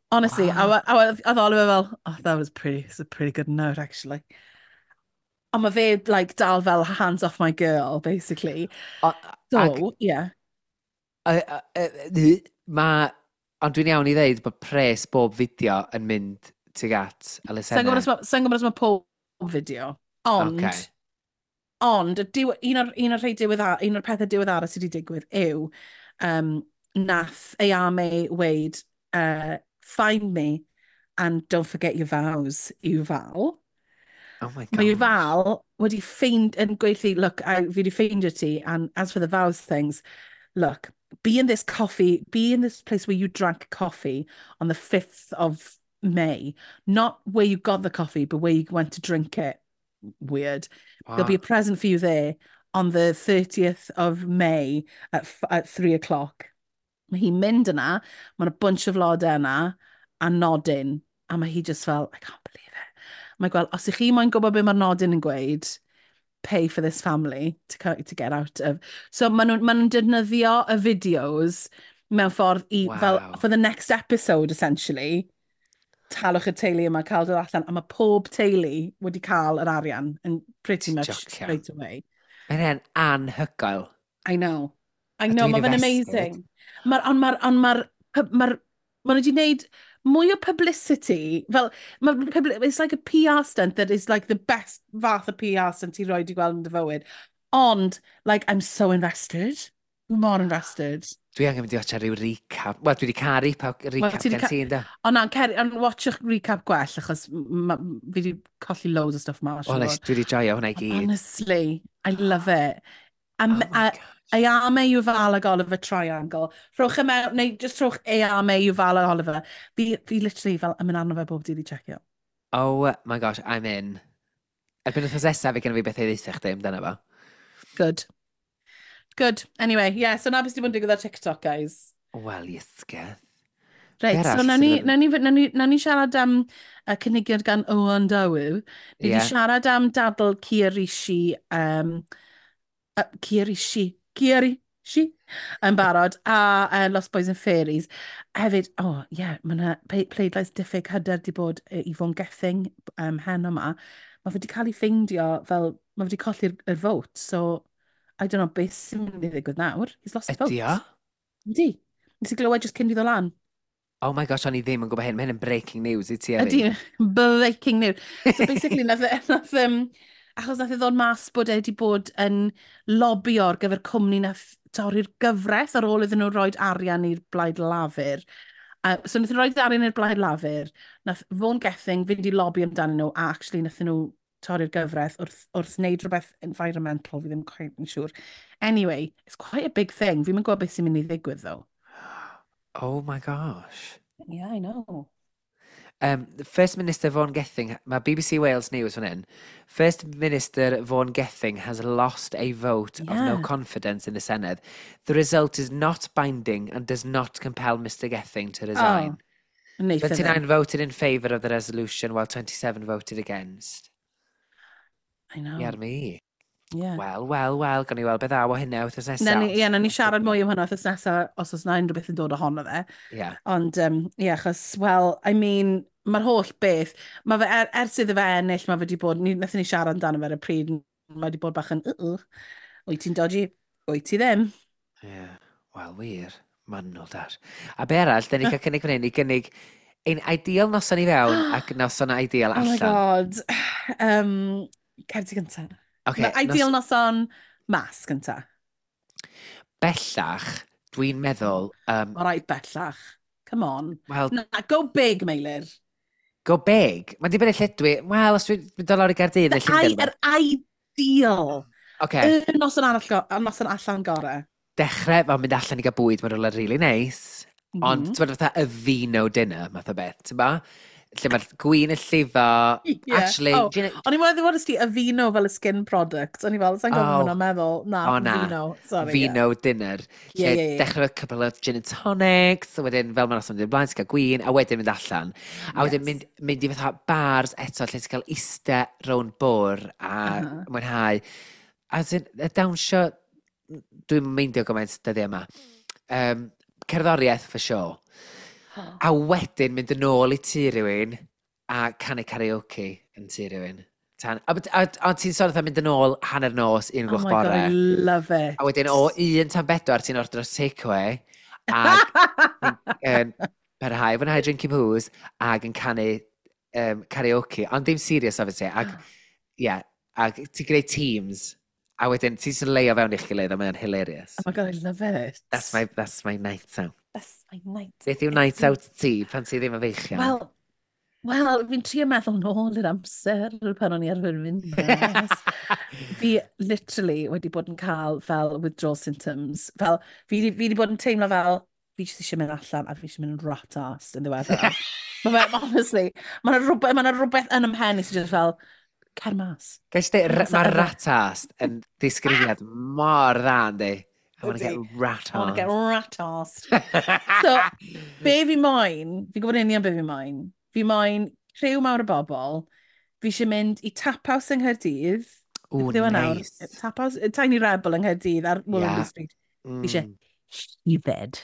[SPEAKER 2] Honestly, wow. a, a, a oedd Oliver fel, "Oh, that was pretty, it's a pretty good note, actually." Ond mae fe, like, dal fel, "Hands off my girl," basically.
[SPEAKER 1] O,
[SPEAKER 2] So,
[SPEAKER 1] ag,
[SPEAKER 2] yeah.
[SPEAKER 1] Mae, ond dwi'n iawn i ddeud bod pres bob fideo yn mynd tuag at
[SPEAKER 2] Sa'n
[SPEAKER 1] elusennau?
[SPEAKER 2] gwybod os ma- sa'n gwybod os mae pob fideo. Ond,
[SPEAKER 1] Okay.
[SPEAKER 2] ond, y diw, un o'r, un o'r rhai diweddar, un o'r pethau diweddara sydd wedi digwydd yw, um, nath Ayame weud, uh, "Find me and don't forget your vows, Yuval."
[SPEAKER 1] Oh my gosh.
[SPEAKER 2] Mae Yuval wedi ffeind, yn gweud, "Look, I, fi wedi ffeindio ti, and as for the vows things, look, be in this coffee, be in this place where you drank coffee on the fifth of May. Not where you got the coffee, but where you went to drink it." Weird. "There'll be a present for you there on the thirtieth of May at, f- at three o'clock." Mae hi'n mynd yna, mae'n a bunch of flodau yna, a nodyn, a mae hi just fel, "I can't believe it." Mae'n gweld, "Os ych chi moyn gwybod beth mae'r nodyn yn gweud, pay for this family to, co- to get out of." So maen nhw'n ma nhw defnyddio y fideos mewn ffordd i,
[SPEAKER 1] Wow.
[SPEAKER 2] fel, for the next episode, essentially, talwch y teulu yma, cael dod allan, a mae pob teulu wedi cael yr arian yn pretty much
[SPEAKER 1] Ti'n jocian?
[SPEAKER 2] straight away.
[SPEAKER 1] Mae'n hyn anhygoel.
[SPEAKER 2] I know. I
[SPEAKER 1] A
[SPEAKER 2] know,
[SPEAKER 1] dwi'n
[SPEAKER 2] mae fe'n
[SPEAKER 1] invested.
[SPEAKER 2] amazing. Mae'r, ond mae'r, ond mae'r, mae'r, ma nhw wedi gwneud mwy o publicity, fel, ma, publi- it's like a P R stunt that is like the best fath o P R stunt ti roed i gweld yn dy fywyd. Ond, like, I'm so invested. Dwi'n mor invested.
[SPEAKER 1] Dwi angen mynd i watcha rhyw recap. Wel, dwi wedi cael recap, recap
[SPEAKER 2] ti 'di
[SPEAKER 1] gen
[SPEAKER 2] ca-
[SPEAKER 1] ti, ynddo?
[SPEAKER 2] Ond na, cer, ond watchwch recap gwell, achos ma, fi wedi colli loads o stuff ma.
[SPEAKER 1] Wel, nes- dwi wedi joio hwnna i gyd.
[SPEAKER 2] Honestly, I love it. Am,
[SPEAKER 1] Oh my
[SPEAKER 2] a,
[SPEAKER 1] gosh.
[SPEAKER 2] Ayame, Yuval ag Oliver Triangle. Rhowch e mewn, neu just rhowch Ayame, Yuval ag Oliver. Fi, fi literally fel yn mynd arno fe bob dydd i checio.
[SPEAKER 1] Oh my gosh, I'm in. Erbyn wythnos nesaf, fi gen i fi beth i ddeutha chdi amdano fo.
[SPEAKER 2] Good. Good. Anyway, yeah, so na beth sydd wedi bod yn digwydd ar TikTok, guys.
[SPEAKER 1] Wel, Iesgeth.
[SPEAKER 2] Reit,
[SPEAKER 1] Be
[SPEAKER 2] so
[SPEAKER 1] arall
[SPEAKER 2] nawn ni,
[SPEAKER 1] sydd yn-
[SPEAKER 2] nawn ni, nawn ni, nawn ni siarad am y cynigion gan Owen Dawu. Ni
[SPEAKER 1] Ie.
[SPEAKER 2] wedi siarad am dadl Kia Rishi, um, uh, Kia Rishi, Kia Rishi, yn barod, a uh, Lost Boys and Fairies. Hefyd, oh, ie, yeah, mae yna pleidlais diffyg hyder di bod i Yvonne Gething um, heno yma. Mae fe wedi cael ei ffeindio fel, mae fe wedi colli'r y vote, so I don't know beth sy'n mynd i ddigwydd nawr. He's lost the vote.
[SPEAKER 1] Ydy o?
[SPEAKER 2] Ydy. Nes i glywed just cyn i ddod lan.
[SPEAKER 1] Oh my gosh, o'n i ddim yn gwybod hyn. Mae hyn yn breaking news i ti a fi.
[SPEAKER 2] Ydy, breaking news. So basically, nath, nath um, Achos nath e ddod mas bod e wedi bod yn lobio ar gyfer cwmni nath torri'r gyfraith ar ôl iddyn nhw roi arian i'r Blaid Lafur. Uh, so nath nhw roi arian i'r Blaid Lafur, nath Vaughan Gething fynd i lobby amdanyn nhw, a actually nath nhw torri'r gyfraith wrth, wrth wneud rhywbeth environmental, fi ddim quite yn siŵr. Anyway, it's quite a big thing. Fi'n gwybod beth sy'n mynd i ddigwydd, though.
[SPEAKER 1] Oh my gosh.
[SPEAKER 2] Yeah, I know.
[SPEAKER 1] Um, First Minister Vaughan Gething, mae B B C Wales News fan hyn. First Minister Vaughan Gething has lost a vote of no
[SPEAKER 2] Yeah.
[SPEAKER 1] confidence in the Senedd. The result is not binding and does not compel Mister Gething to resign.
[SPEAKER 2] Oh, wneith e
[SPEAKER 1] twenty-nine
[SPEAKER 2] ddim.
[SPEAKER 1] Voted in favour of the resolution while twenty-seven voted against.
[SPEAKER 2] I know.
[SPEAKER 1] Iar mi.
[SPEAKER 2] Yeah.
[SPEAKER 1] Wel, wel, wel, gawn ni weld beth ddaw o hynna wythnos
[SPEAKER 2] Na
[SPEAKER 1] nesaf.
[SPEAKER 2] ni, ie, na ni siarad mwy am hwnna wythnos nesaf os oes na unrhyw beth yn dod ohono fe.
[SPEAKER 1] Ie.
[SPEAKER 2] Ond, um, ie, yeah, achos, well, I mean, mae'r holl beth, mae fe, er, ers iddo fe ennill, mae fe wedi bod, ni, wnaethon ni siarad amdano fe ar y pryd, mae wedi bod bach yn, uh -uh, wyt ti'n dodgy, wyt ti ddim.
[SPEAKER 1] Ie. Wel, wir. Manwl dar. A be arall, da ni cael cynnig fan hyn i gynnig ein ideal noson i fewn ac noson ideal
[SPEAKER 2] Oh my
[SPEAKER 1] allan.
[SPEAKER 2] God. Um, cer ti gynta.
[SPEAKER 1] Okay,
[SPEAKER 2] Okay, ideal noson mas gynta.
[SPEAKER 1] Bellach, dwi'n meddwl, um,
[SPEAKER 2] All right, bellach. Come on.
[SPEAKER 1] Wel,
[SPEAKER 2] Na, go big, Meilir.
[SPEAKER 1] Go big. Mae'n dibynnu lle dwi. Wel, os dwi'n mynd lawr i Gaerdydd neu
[SPEAKER 2] I,
[SPEAKER 1] Llundain.
[SPEAKER 2] Yr ideal.
[SPEAKER 1] Oce,
[SPEAKER 2] Y noson arall, go- y noson allan gorau.
[SPEAKER 1] Dechrau, mae'n mynd allan i gael bwyd, mae'n rhywle really nice. Mm -hmm. Ond,
[SPEAKER 2] Mhm.
[SPEAKER 1] ti'n meddwl fatha y vino dinner, math o beth, ti'n ba? Lle mae'r gwin yn llifo.
[SPEAKER 2] Yeah.
[SPEAKER 1] Actually,
[SPEAKER 2] Oh,
[SPEAKER 1] do you know-
[SPEAKER 2] o'n i'n meddwl bod ti y vino fel y skin product. O'n i fel, sa'n gwybod
[SPEAKER 1] Oh.
[SPEAKER 2] hwnna'n meddwl. Na,
[SPEAKER 1] O, na.
[SPEAKER 2] Vino. Sorry.
[SPEAKER 1] Vino dinner. Lle
[SPEAKER 2] Ie, ie, ie.
[SPEAKER 1] dechrau efo couple of gin and tonics, a wedyn fel mae'n noson yn blaen, ti'n cael gwin, a wedyn mynd allan. A wedyn
[SPEAKER 2] Yes.
[SPEAKER 1] mynd, mynd i fatha bars eto, lle ti'n cael iste rownd bwr a uh
[SPEAKER 2] Uh-huh.
[SPEAKER 1] -huh. mwynhau. A wedyn, y dawnsio, dwi'n meindio gymaint dyddiau yma. Um, cerddoriaeth, for sure. A wedyn mynd yn ôl i tŷ rhywun a canu karaoke yn tŷ rhywun. Tan, a, a, a, a ti'n sôn fatha mynd yn ôl hanner nos, un
[SPEAKER 2] Oh
[SPEAKER 1] gloch
[SPEAKER 2] my God,
[SPEAKER 1] bore.
[SPEAKER 2] I love it.
[SPEAKER 1] A wedyn o un tan bedwar ti'n ordro takeaway ac yn parhau fwynhau drinking booze ac yn canu um, karaoke, ond dim serious obviously. Ac, yeah, ac ti'n gwneud teams, a wedyn ti'n sy'n leio fewn i'ch gilydd, a mae'n hilarious.
[SPEAKER 2] Oh my God, I love it.
[SPEAKER 1] That's my, that's my night out.
[SPEAKER 2] That's my night.
[SPEAKER 1] Beth yw night out ti pan ti ddim yn feichiog?
[SPEAKER 2] Wel, wel, fi'n trio meddwl nôl i'r amser pan o'n i arfer mynd mas. Fi literally wedi bod yn cael fel withdrawal symptoms. Fel, fi fi wedi bod yn teimlo fel, fi jyst eisiau mynd allan a fi eisiau mynd yn rat-arsed yn ddiweddar. Mae fe, honestly, mae'n rhywbeth, ma rhywbeth yn 'y mhen i sy'n just fel, cer mas.
[SPEAKER 1] Gael dweud,
[SPEAKER 2] Mas
[SPEAKER 1] mae
[SPEAKER 2] yfed.
[SPEAKER 1] rat-arsed yn disgrifiad mor dda, yndi? I want to
[SPEAKER 2] Ydi.
[SPEAKER 1] get rat-arsed.
[SPEAKER 2] I want to get rat-arsed. So, be fi moyn, fi'n gwybod yn union be fi moyn. Fi moyn criw mawr o bobl. Fi eisiau mynd i Tap House yng Nghaerdydd.
[SPEAKER 1] Ooh,
[SPEAKER 2] Beth yw e nawr?
[SPEAKER 1] Nice.
[SPEAKER 2] Tap House, Tiny Rebel yng Nghaerdydd ar Womanby
[SPEAKER 1] Yeah.
[SPEAKER 2] Street.
[SPEAKER 1] Mm.
[SPEAKER 2] Fi eisiau hifed.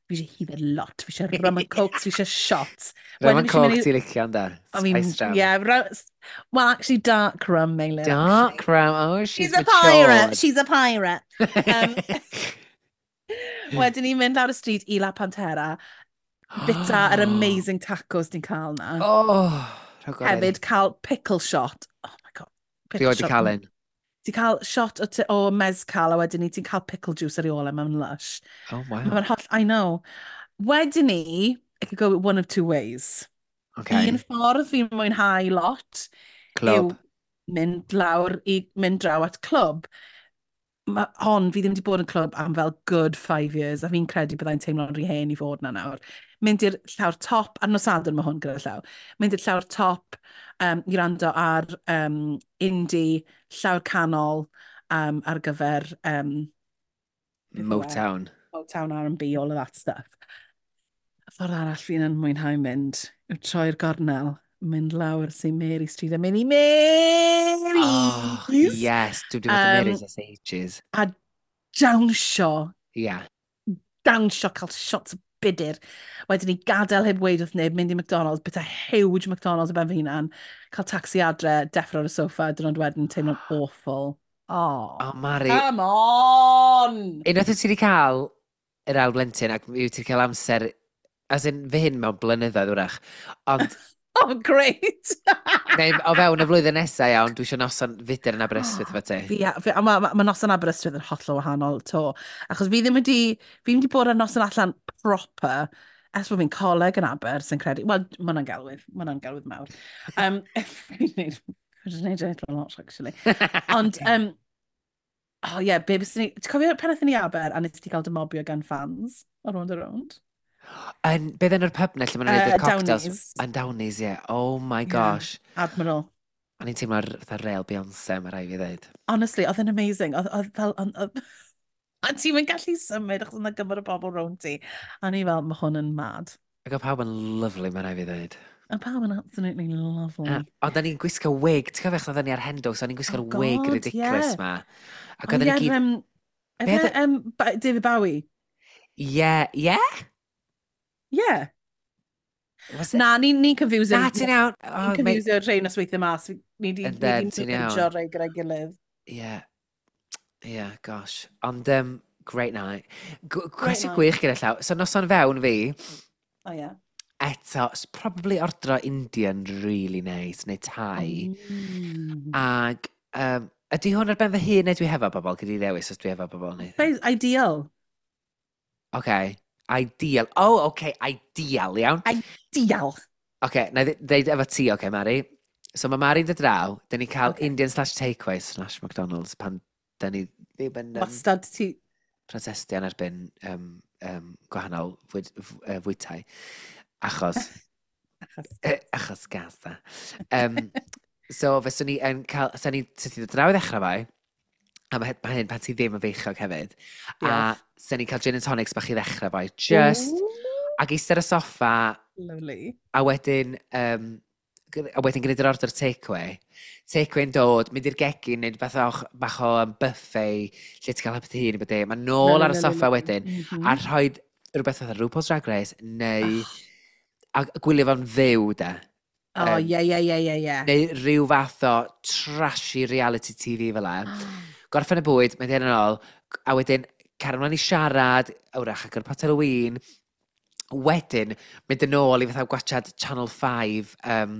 [SPEAKER 2] Fi eisiau hifed lot. Fi eisiau rum and cokes, fi eisiau shots.
[SPEAKER 1] Rum
[SPEAKER 2] Wedyn
[SPEAKER 1] and
[SPEAKER 2] fi isie mynd
[SPEAKER 1] coke
[SPEAKER 2] i-
[SPEAKER 1] ti'n licio, ynddo?
[SPEAKER 2] I mean,
[SPEAKER 1] Spice rum.
[SPEAKER 2] yeah, ru- well, actually dark rum, Meilir.
[SPEAKER 1] Dark rum. Oh, she's
[SPEAKER 2] She's a pirate.
[SPEAKER 1] matured.
[SPEAKER 2] She's a pirate. Um, Wedyn ni'n mynd lawr y stryd i La Pantera, bita yr amazing tacos ni'n cael na.
[SPEAKER 1] Oh, rhagorol.
[SPEAKER 2] Hefyd cael pickle shot. Oh my God.
[SPEAKER 1] Dwi wedi cael un.
[SPEAKER 2] Ti'n cael shot o, t- o mezcal a wedyn ni ti'n cael pickle juice ar ei ôl e, mae'n lush.
[SPEAKER 1] Oh, wow.
[SPEAKER 2] Mae'n holl, I know. Wedyn ni, it could go one of two ways.
[SPEAKER 1] Okay.
[SPEAKER 2] Un ffordd fi'n mwynhau lot
[SPEAKER 1] Club.
[SPEAKER 2] yw mynd lawr i mynd draw at clwb. Ma, hon, fi ddim wedi bod yn clwb am fel good five years, a fi'n credu byddai'n teimlo'n rhy hen i fod na nawr. Mynd i'r llawr top, ar nos Sadwrn mae hwn gyda llaw, mynd i'r llawr top um, i wrando ar um, indie, llawr canol um, ar gyfer um, beth yw e?
[SPEAKER 1] Motown.
[SPEAKER 2] Motown, R and B, all of that stuff. Y ffordd arall fi'n yn mwynhau mynd yw troi'r gornel, mynd lawr Saint Mary Street a mynd i Mary's!
[SPEAKER 1] Oh, yes. Dwi wedi bod yn
[SPEAKER 2] Um,
[SPEAKER 1] Mary's ers ages.
[SPEAKER 2] A dawnsio,
[SPEAKER 1] Yeah.
[SPEAKER 2] dawnsio, cael shots o budur. Wedyn ni gadael heb weid wrth neb, mynd i McDonald's, bita huge McDonald's o ben fy hunan, cael taxi adre, deffro ar y soffa, dyn wedyn teimlo'n awful. Oh,
[SPEAKER 1] Oh, Mari.
[SPEAKER 2] Come on!
[SPEAKER 1] Unwaith wyt ti wedi cael yr ail blentyn ac wyt ti wedi cael amser, as in fy hyn mewn blynyddoedd wrach, ond
[SPEAKER 2] Oh, great!
[SPEAKER 1] Neu o fewn y flwyddyn nesaf iawn, dwi eisiau noson fudur yn Aberystwyth efo ti.
[SPEAKER 2] Fi, fi, a mae ma, ma noson Aberystwyth yn hollol wahanol to. Achos fi ddim wedi, fi ddim wedi bod ar noson allan proper ers bod fi'n coleg yn Aber, sy'n credu. Wel, mae hwnna'n gelwydd, mae hwnna'n gelwydd mawr. Um, fi'n neud, fi'n neud it a lot, actually. Ond, um, oh yeah, be bys ni, ti'n cofio pan aethon ni Aber a nes ti gael dy mobio gan fans o Rownd a Rownd?
[SPEAKER 1] Yn, beth yn yr pub na lle maen nhw'n neud y
[SPEAKER 2] Uh,
[SPEAKER 1] cocktails?
[SPEAKER 2] Downies.
[SPEAKER 1] Yn Downies, ie. Yeah. Oh my
[SPEAKER 2] Yeah.
[SPEAKER 1] gosh.
[SPEAKER 2] Admiral.
[SPEAKER 1] O'n i'n teimlo'r fatha real Beyoncé, mae rhaid fi ddweud.
[SPEAKER 2] Honestly, oedd e'n amazing. Oedd, oedd fel... Oedd, oedd, a ti'n mynd gallu symud achos yna gymaint o bobl rownd ti. A ni fel, mae hwn yn mad.
[SPEAKER 1] Ac oedd pawb yn lovely, mae rhaid fi ddweud.
[SPEAKER 2] A pawb yn absolutely lovely.
[SPEAKER 1] A, ond o'n i'n gwisgo wig, ti'n cofio achos oedden ni ar hen do, so o'n i'n gwisgo'r
[SPEAKER 2] Oh
[SPEAKER 1] wig
[SPEAKER 2] God,
[SPEAKER 1] ridiculous
[SPEAKER 2] yeah.
[SPEAKER 1] ma. Ac
[SPEAKER 2] Oh
[SPEAKER 1] oedden ni
[SPEAKER 2] yeah,
[SPEAKER 1] gyd.
[SPEAKER 2] um,
[SPEAKER 1] Be
[SPEAKER 2] efe,
[SPEAKER 1] oedd
[SPEAKER 2] um, Ba- David Bowie.
[SPEAKER 1] Ie, ie?
[SPEAKER 2] Yeah.
[SPEAKER 1] Was it?
[SPEAKER 2] Na, ni'n ni confusing.
[SPEAKER 1] Na, ti'n iawn.
[SPEAKER 2] Ni'n
[SPEAKER 1] Oh, mate.
[SPEAKER 2] confusio rhai nosweithiau mas. Ni di, ni
[SPEAKER 1] Ynden,
[SPEAKER 2] di
[SPEAKER 1] ti'n iawn.
[SPEAKER 2] mergio rhai gyda'i gilydd.
[SPEAKER 1] Ie. Ie, gosh. Ond, um, great night. G- Cwestiwn
[SPEAKER 2] night.
[SPEAKER 1] gwych gyda llaw. So, noson fewn fi,
[SPEAKER 2] Oh yeah.
[SPEAKER 1] eto, s- probably ordro Indian really nice, neu Thai.
[SPEAKER 2] Mm.
[SPEAKER 1] Ag, um, ydy hwn ar ben fy hun neu dwi hefo bobl? Gyd i ddewis os dwi hefo bobl neu.
[SPEAKER 2] Be- Ideal.
[SPEAKER 1] Okay. Ideal. Oh, okay, ideal, iawn.
[SPEAKER 2] Ideal.
[SPEAKER 1] Okay, na i ddeud efo ti, okay, Mari. So mae Mari'n dod draw, dyn ni'n cael
[SPEAKER 2] Okay.
[SPEAKER 1] Indian slash takeaway slash McDonald's pan dyn ni ddim yn um,
[SPEAKER 2] Wastad ti.
[SPEAKER 1] protestio yn erbyn um, um, gwahanol fwyd, f- yy, fwytai. Achos,
[SPEAKER 2] Achos.
[SPEAKER 1] eh, achos Gaza. Um, so fyswn ni yn cael, so ni, so ti dod draw i ddechrau fai, a mae, mae hyn pan ti ddim yn feichiog hefyd. A
[SPEAKER 2] Diolch.
[SPEAKER 1] sen ni'n cael gin and tonics bach i ddechrau fai. Just,
[SPEAKER 2] Ooh,
[SPEAKER 1] ac eistedd ar y soffa,
[SPEAKER 2] lovely.
[SPEAKER 1] a wedyn, um, a wedyn gwneud yr order takeaway. Takeaway'n dod, mynd i'r gegin, neud bach o, bach o um, buffet, lle ti'n cael helpu dy hun i bod Mae nôl ar y soffa wedyn,
[SPEAKER 2] Mm -hmm.
[SPEAKER 1] a rhoi rhywbeth fatha RuPaul's Drag Race, neu a gwylio fo'n fyw, de.
[SPEAKER 2] Oh,
[SPEAKER 1] yym,
[SPEAKER 2] ie, ie, ie, ie, ie.
[SPEAKER 1] Neu rhyw fath o trashy reality T V fel e. Gorffen y bwyd, mynd hyn yn ôl, a wedyn cario ymlaen i siarad, wrach ac yr potel o win. Wedyn, mynd yn ôl i fatha gwachad Channel five, um,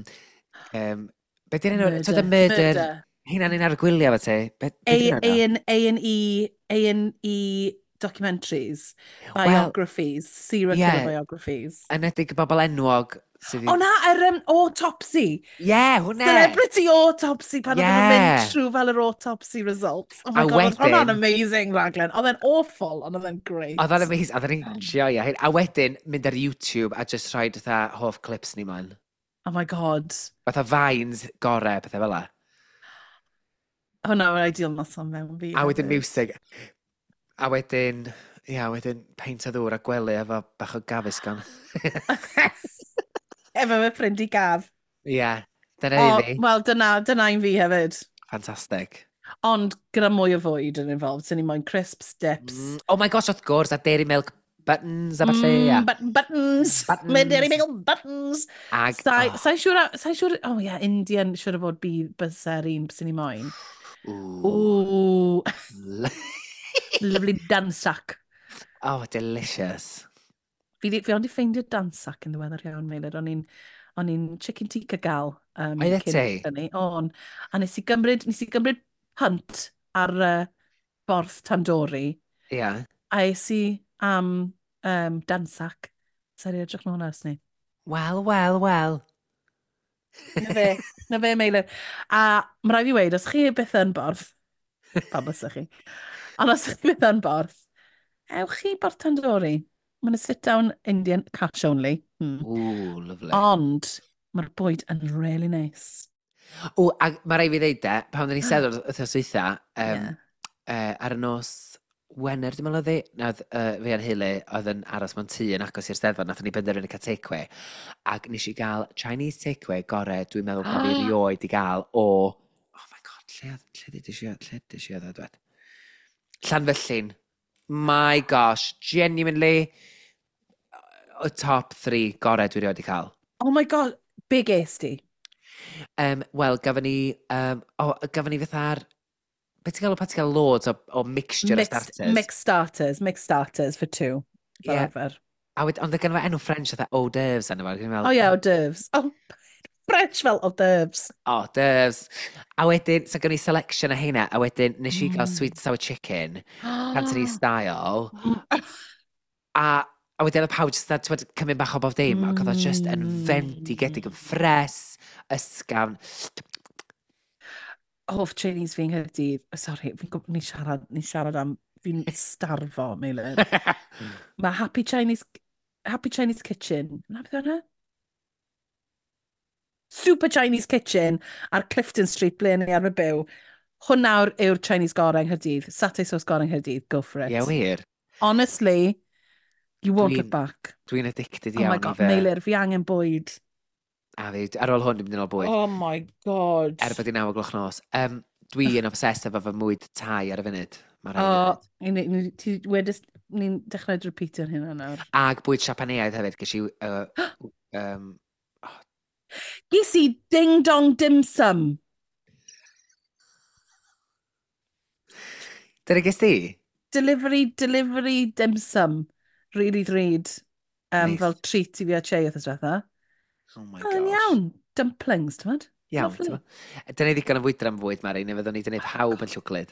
[SPEAKER 1] um, be di'r enw? Twyd y murder.
[SPEAKER 2] Murder.
[SPEAKER 1] Hynna'n un ar y gwyliau fo ti. Be, be
[SPEAKER 2] A,
[SPEAKER 1] di'r enw?
[SPEAKER 2] A, N, A and E, A and E documentaries,
[SPEAKER 1] Wel,
[SPEAKER 2] biographies, serial
[SPEAKER 1] ie.
[SPEAKER 2] killer biographies.
[SPEAKER 1] Enedig y bobl enwog sydd
[SPEAKER 2] O na, yr um, autopsy.
[SPEAKER 1] Ie, yeah, hwnna.
[SPEAKER 2] Celebrity autopsy, pan oedden nhw'n mynd
[SPEAKER 1] Ie.
[SPEAKER 2] trwy fel yr autopsy results. Oh my
[SPEAKER 1] A
[SPEAKER 2] God, oedd hwnna'n
[SPEAKER 1] wedyn-
[SPEAKER 2] amazing raglen. Oedd e'n awful, ond oedd e'n great.
[SPEAKER 1] Oedd o'n amazing, oedd o'n joio hyn. A wedyn, mynd ar YouTube a just rhoi fatha hoff clips ni mlaen.
[SPEAKER 2] Oh my God.
[SPEAKER 1] Fatha Vines gore, pethau fel la.
[SPEAKER 2] Hwnna oedd ideal noson mewn fi.
[SPEAKER 1] A wedyn
[SPEAKER 2] hefyd.
[SPEAKER 1] music. A wedyn, ia, wedyn peint o ddŵr a gwely efo bach o Gaviscon.
[SPEAKER 2] Efo fy ffrind i Gav.
[SPEAKER 1] Ie, yeah, dyna
[SPEAKER 2] O,
[SPEAKER 1] i fi.
[SPEAKER 2] wel, dyna, dyna un fi hefyd.
[SPEAKER 1] Fantastic.
[SPEAKER 2] Ond gyda mwy o fwyd yn involved, so ni moyn crisps, dips.
[SPEAKER 1] Mm, oh my gosh, wrth gwrs, a Dairy Milk buttons a falle. Mm,
[SPEAKER 2] Mm, but, buttons.
[SPEAKER 1] Buttons.
[SPEAKER 2] Mae Dairy Milk buttons.
[SPEAKER 1] Ag,
[SPEAKER 2] Sai,
[SPEAKER 1] oh,
[SPEAKER 2] sai siŵr, sai siŵr, oh yeah, Indian siŵr o fod bydd bysa'r un sy'n ni moyn.
[SPEAKER 1] Ooh.
[SPEAKER 2] Ooh, lovely dansak.
[SPEAKER 1] Oh, delicious.
[SPEAKER 2] Fi, di, fi ond i ffeindio dansak yn ddiweddar iawn, Meilir. O'n i'n o'n i'n chicken tikka gal. Um,
[SPEAKER 1] Oeddet
[SPEAKER 2] cyn
[SPEAKER 1] ti?
[SPEAKER 2] hynny. On. A nes i gymryd, nes i gymryd punt ar uh, borth tandoori.
[SPEAKER 1] Ie. Yeah.
[SPEAKER 2] A es i am um, dansak. Sa'n i edrych nôl ers ni.
[SPEAKER 1] Wel, wel, wel.
[SPEAKER 2] Na fe, na fe, Meilir. A mae rhaid fi weud, os chi byth yn Borth, pam bysach chi? Ond os chi byth yn Borth, ewch chi Borth Tandoori. Mae'n sit-down Indian cash only. Hmm.
[SPEAKER 1] Ooh, lovely.
[SPEAKER 2] Ond mae'r bwyd yn really nice.
[SPEAKER 1] O, a mae rhaid fi ddeud de, pan oedden ni steddfod wythnos dwytha, um,
[SPEAKER 2] Yeah.
[SPEAKER 1] uh, ar y nos Wener, dwi'n meddwl oedd hi, nath uh, fi a'n nheulu oedd yn aros mewn tŷ yn agos i'r steddfod, nathon ni benderfynu cael takeaway. Ac nes i gael Chinese takeaway gore, dwi'n meddwl bod fi rioed i gael o. Oh my God, lle, oedd- lle did i, lle did i oedd o, dwed? Llanfyllin. My gosh, genuinely, y top three gore dwi rioed i cael.
[SPEAKER 2] Oh my God, big es di.
[SPEAKER 1] Um, Wel, gafon ni... Um, oh, gafon ni fatha'r... Be ti'n gael o pan ti'n gael loads o, o mixture
[SPEAKER 2] Mixed,
[SPEAKER 1] o starters?
[SPEAKER 2] mixed starters, mixed starters for two. Fel
[SPEAKER 1] Ie.
[SPEAKER 2] arfer.
[SPEAKER 1] A wed, ond oedd gynno fo enw French fatha hors d'oeuvres arno fo. Dwi'n meddwl,
[SPEAKER 2] Oh yeah, hors d'oeuvres. Oh, Fresh fel hors d'oeuvres.
[SPEAKER 1] Hors d'oeuvres. A wedyn, so gen i selection o heina, a wedyn nes i gael mm. sweet sour chicken, Cantonese style. A, a wedyn oedd pawb jyst yn cymryd bach o bob dim, mm. ac oedd o just yn fendigedig, yn ffres, ysgafn.
[SPEAKER 2] Hoff Chinese fi'n Nghaerdydd. Sorry, fi'n gwybod, ni siarad, ni siarad am, fi'n starfo, Meilir. Mae Happy Chinese, Happy Chinese Kitchen. Na beth yna? Super Chinese Kitchen ar Clifton Street, ble ni arfer byw. Hwn nawr yw'r Chinese gorau yng Nghaerdydd. Satay sauce gorau yng Nghaerdydd. Go for it.
[SPEAKER 1] Ie, yeah, wir.
[SPEAKER 2] Honestly, you won't look back.
[SPEAKER 1] Dwi'n addicted iawn
[SPEAKER 2] oh my God, i fe. Meilir, fi angen bwyd.
[SPEAKER 1] A fi, ar ôl hwn, dwi'n mynd yn ôl bwyd.
[SPEAKER 2] Oh my God.
[SPEAKER 1] Er bod i naw o gloch nos. Um, dwi yn obsessed efo fy mwyd Thai ar y funud.
[SPEAKER 2] Mae rhaid i ddweud. Ni, ti wedys, ni'n dechrau repeatio'n hynna nawr.
[SPEAKER 1] Ag bwyd Siapaneaidd hefyd, ges i... Uh, um,
[SPEAKER 2] oh. Ges i ding dong dim sum.
[SPEAKER 1] Dyna ges ti?
[SPEAKER 2] Delivery, delivery dim sum. Really ddrud. Um, nice. Fel treat i fi a Che wrth diwetha.
[SPEAKER 1] Oh my gosh.
[SPEAKER 2] Yn iawn. Dumplings, ti'n modd?
[SPEAKER 1] Iawn. Dyna ni ddigon o fwydra am fwyd, Mari, neu fyddwn ni wedi gwneud pawb yn llwglyd.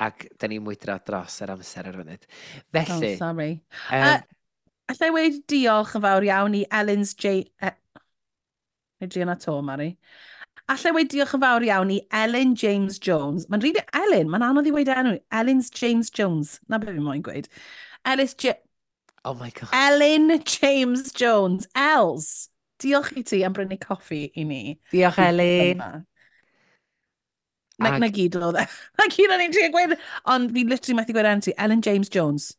[SPEAKER 1] Ac dyna ni'n mwydro dros yr amser ar y funud. Felly...
[SPEAKER 2] Oh, sorry. Um, uh, Alla i weud diolch yn fawr iawn i Ellen's J... E... Neu drio na to, Mari. Alla i weud diolch yn fawr iawn i Ellen James Jones. Mae'n rili... Ellen, mae'n anodd i weud enw. Ellen James Jones. Na beth fi'n moyn gweud. Ellis J...
[SPEAKER 1] Oh my God.
[SPEAKER 2] Ellen James Jones. Els. Diolch i ti am brynu coffi i ni.
[SPEAKER 1] Diolch, Elin.
[SPEAKER 2] Na, Ag... na gyd oedd e. Na gyd o'n i'n trio gweud. Ond fi literally methu gweud enw ti. Ellen James Jones.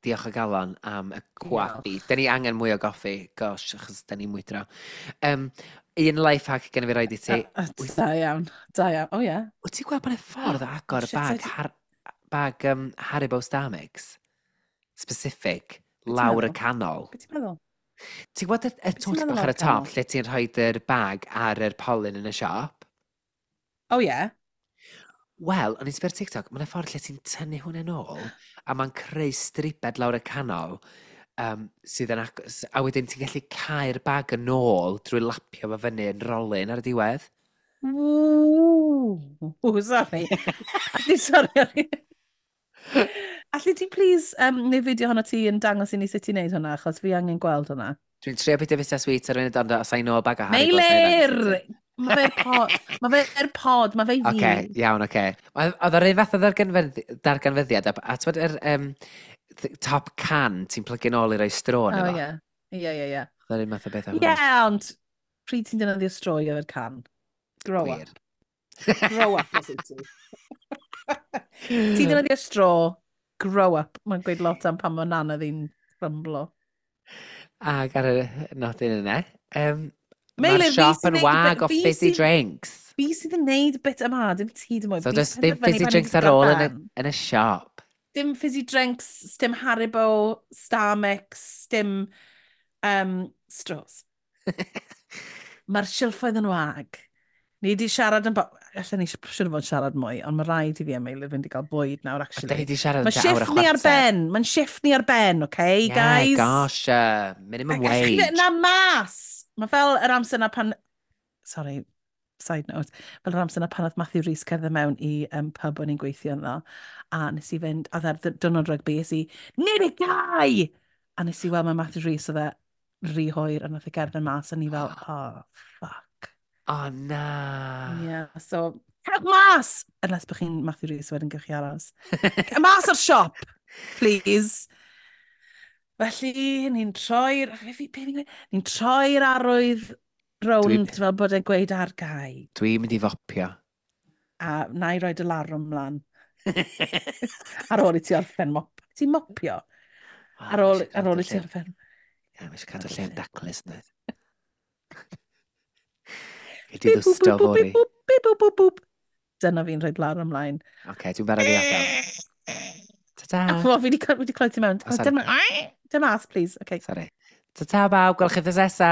[SPEAKER 1] Diolch o galon am y cwaffi. Da ni angen mwy o goffi, gosh, achos da ni'n mwydro. Um, un life hack gen i fi roed i ti.
[SPEAKER 2] Da iawn, da iawn. O oh, ie. Yeah.
[SPEAKER 1] Wyt ti'n gweld bod y ffordd o agor oh, bag, har, bag um, Haribo Star Mix? Specific, lawr y canol.
[SPEAKER 2] Be ti'n meddwl?
[SPEAKER 1] Ti'n gwybod y, y twll bach ar y top lle ti'n rhoi yr bag ar yr polyn yn y siop?
[SPEAKER 2] Oh yeah.
[SPEAKER 1] Wel, o'n i'n sbio ar TikTok, mae'n ffordd lle ti'n tynnu hwnna nôl a mae'n creu stribed lawr y canol um, sydd yn agos, a wedyn ti'n gallu cau'r bag yn ôl drwy lapio fo fyny yn rolyn ar y diwedd.
[SPEAKER 2] Ww, sorry. Alli, sorry. Alli ti please um, neu fideo honno ti yn dangos i ni sut ti'n neud hwnna, achos fi angen gweld hwnna.
[SPEAKER 1] Dwi'n trio beidio fwyta sweet ar funud, ond os i'n ôl bag o
[SPEAKER 2] Haribo... Meilir! Mae fe'r pod, mae fe'r pod, mae fe i fi.
[SPEAKER 1] Oce, okay, iawn, oce. Okay. Oedd o'r un fath o ddarganfyddiad, a, a ti'n yr um, top can ti'n plygu nôl i roi stro yn
[SPEAKER 2] efo? O, ie. Ie, ie, ie.
[SPEAKER 1] Oedd o'r un fath o beth.
[SPEAKER 2] Ie, ond pryd ti'n defnyddio stro i efo'r can? Grow up. Grow up, os wyt ti. Ti'n defnyddio stro, grow up. Mae'n gweud lot am pan mae nana ddi'n crymblo.
[SPEAKER 1] Ac ar y nodyn yna, um, mae'r siop yn wag o fizzy drinks.
[SPEAKER 2] Fi sydd yn neud bit yma, dim ti dim mwy.
[SPEAKER 1] So does dim fizzy drinks ar ôl yn y, yn y siop.
[SPEAKER 2] Dim fizzy drinks, dim Haribo, Star Mix, dim um, straws. Mae'r silffoedd yn wag. Ni wedi siarad yn... Allan ni siŵr o fod siarad mwy, ond mae rhaid i fi a Meilir fynd i gael bwyd nawr, actually.
[SPEAKER 1] Da ni wedi siarad yn tua awr a
[SPEAKER 2] chwarter. Mae shift ni ar ben. Mae'n shift ni ar ben, okay,
[SPEAKER 1] yeah,
[SPEAKER 2] guys?
[SPEAKER 1] Yeah, gosh, uh, minimum wage.
[SPEAKER 2] Na mas! Mae fel yr amser na pan... Sorry, side note. Fel yr amser na pan oedd Matthew Rhys cerdded mewn i um, pub o'n i'n gweithio ynddo. A nes i fynd, a dde'r diwrnod rygbi, nes i, nid y gau! A nes i weld mae Matthew Rhys oedd e rhy hwyr, a nath e gerdded mas, a ni fel, oh, fuck.
[SPEAKER 1] Oh, na.
[SPEAKER 2] Yeah, so, cerwch mas! Unless bych chi'n Matthew Rhys wedyn gewch chi aros. Mas o'r siop, please. Felly, ni'n troi'r... Ni'n troi'r arwydd rownd fel bod e'n gweud ar gau.
[SPEAKER 1] Dwi'n mynd i fopio.
[SPEAKER 2] A na i roed y larwm mlaen. Ar ôl i ti orffen mop. Ti'n mopio?
[SPEAKER 1] Oh,
[SPEAKER 2] ar ôl, ar ôl i ti orffen.
[SPEAKER 1] Ie, mae eisiau cadw lle'n daclus, ynddo. Gei di ddwsto fory.
[SPEAKER 2] Bip, bip, bip, bip, bip. Dyna fi'n rhoi larwm ymlaen.
[SPEAKER 1] Oce, okay, dwi'n barod i adael. Ta-ta.
[SPEAKER 2] Wel, fi wedi cloi ti mewn. Oh, dyma, dyma as, please. Okay.
[SPEAKER 1] Sorry. Ta-ta, bawb. Gwelch chi wthnos nesa.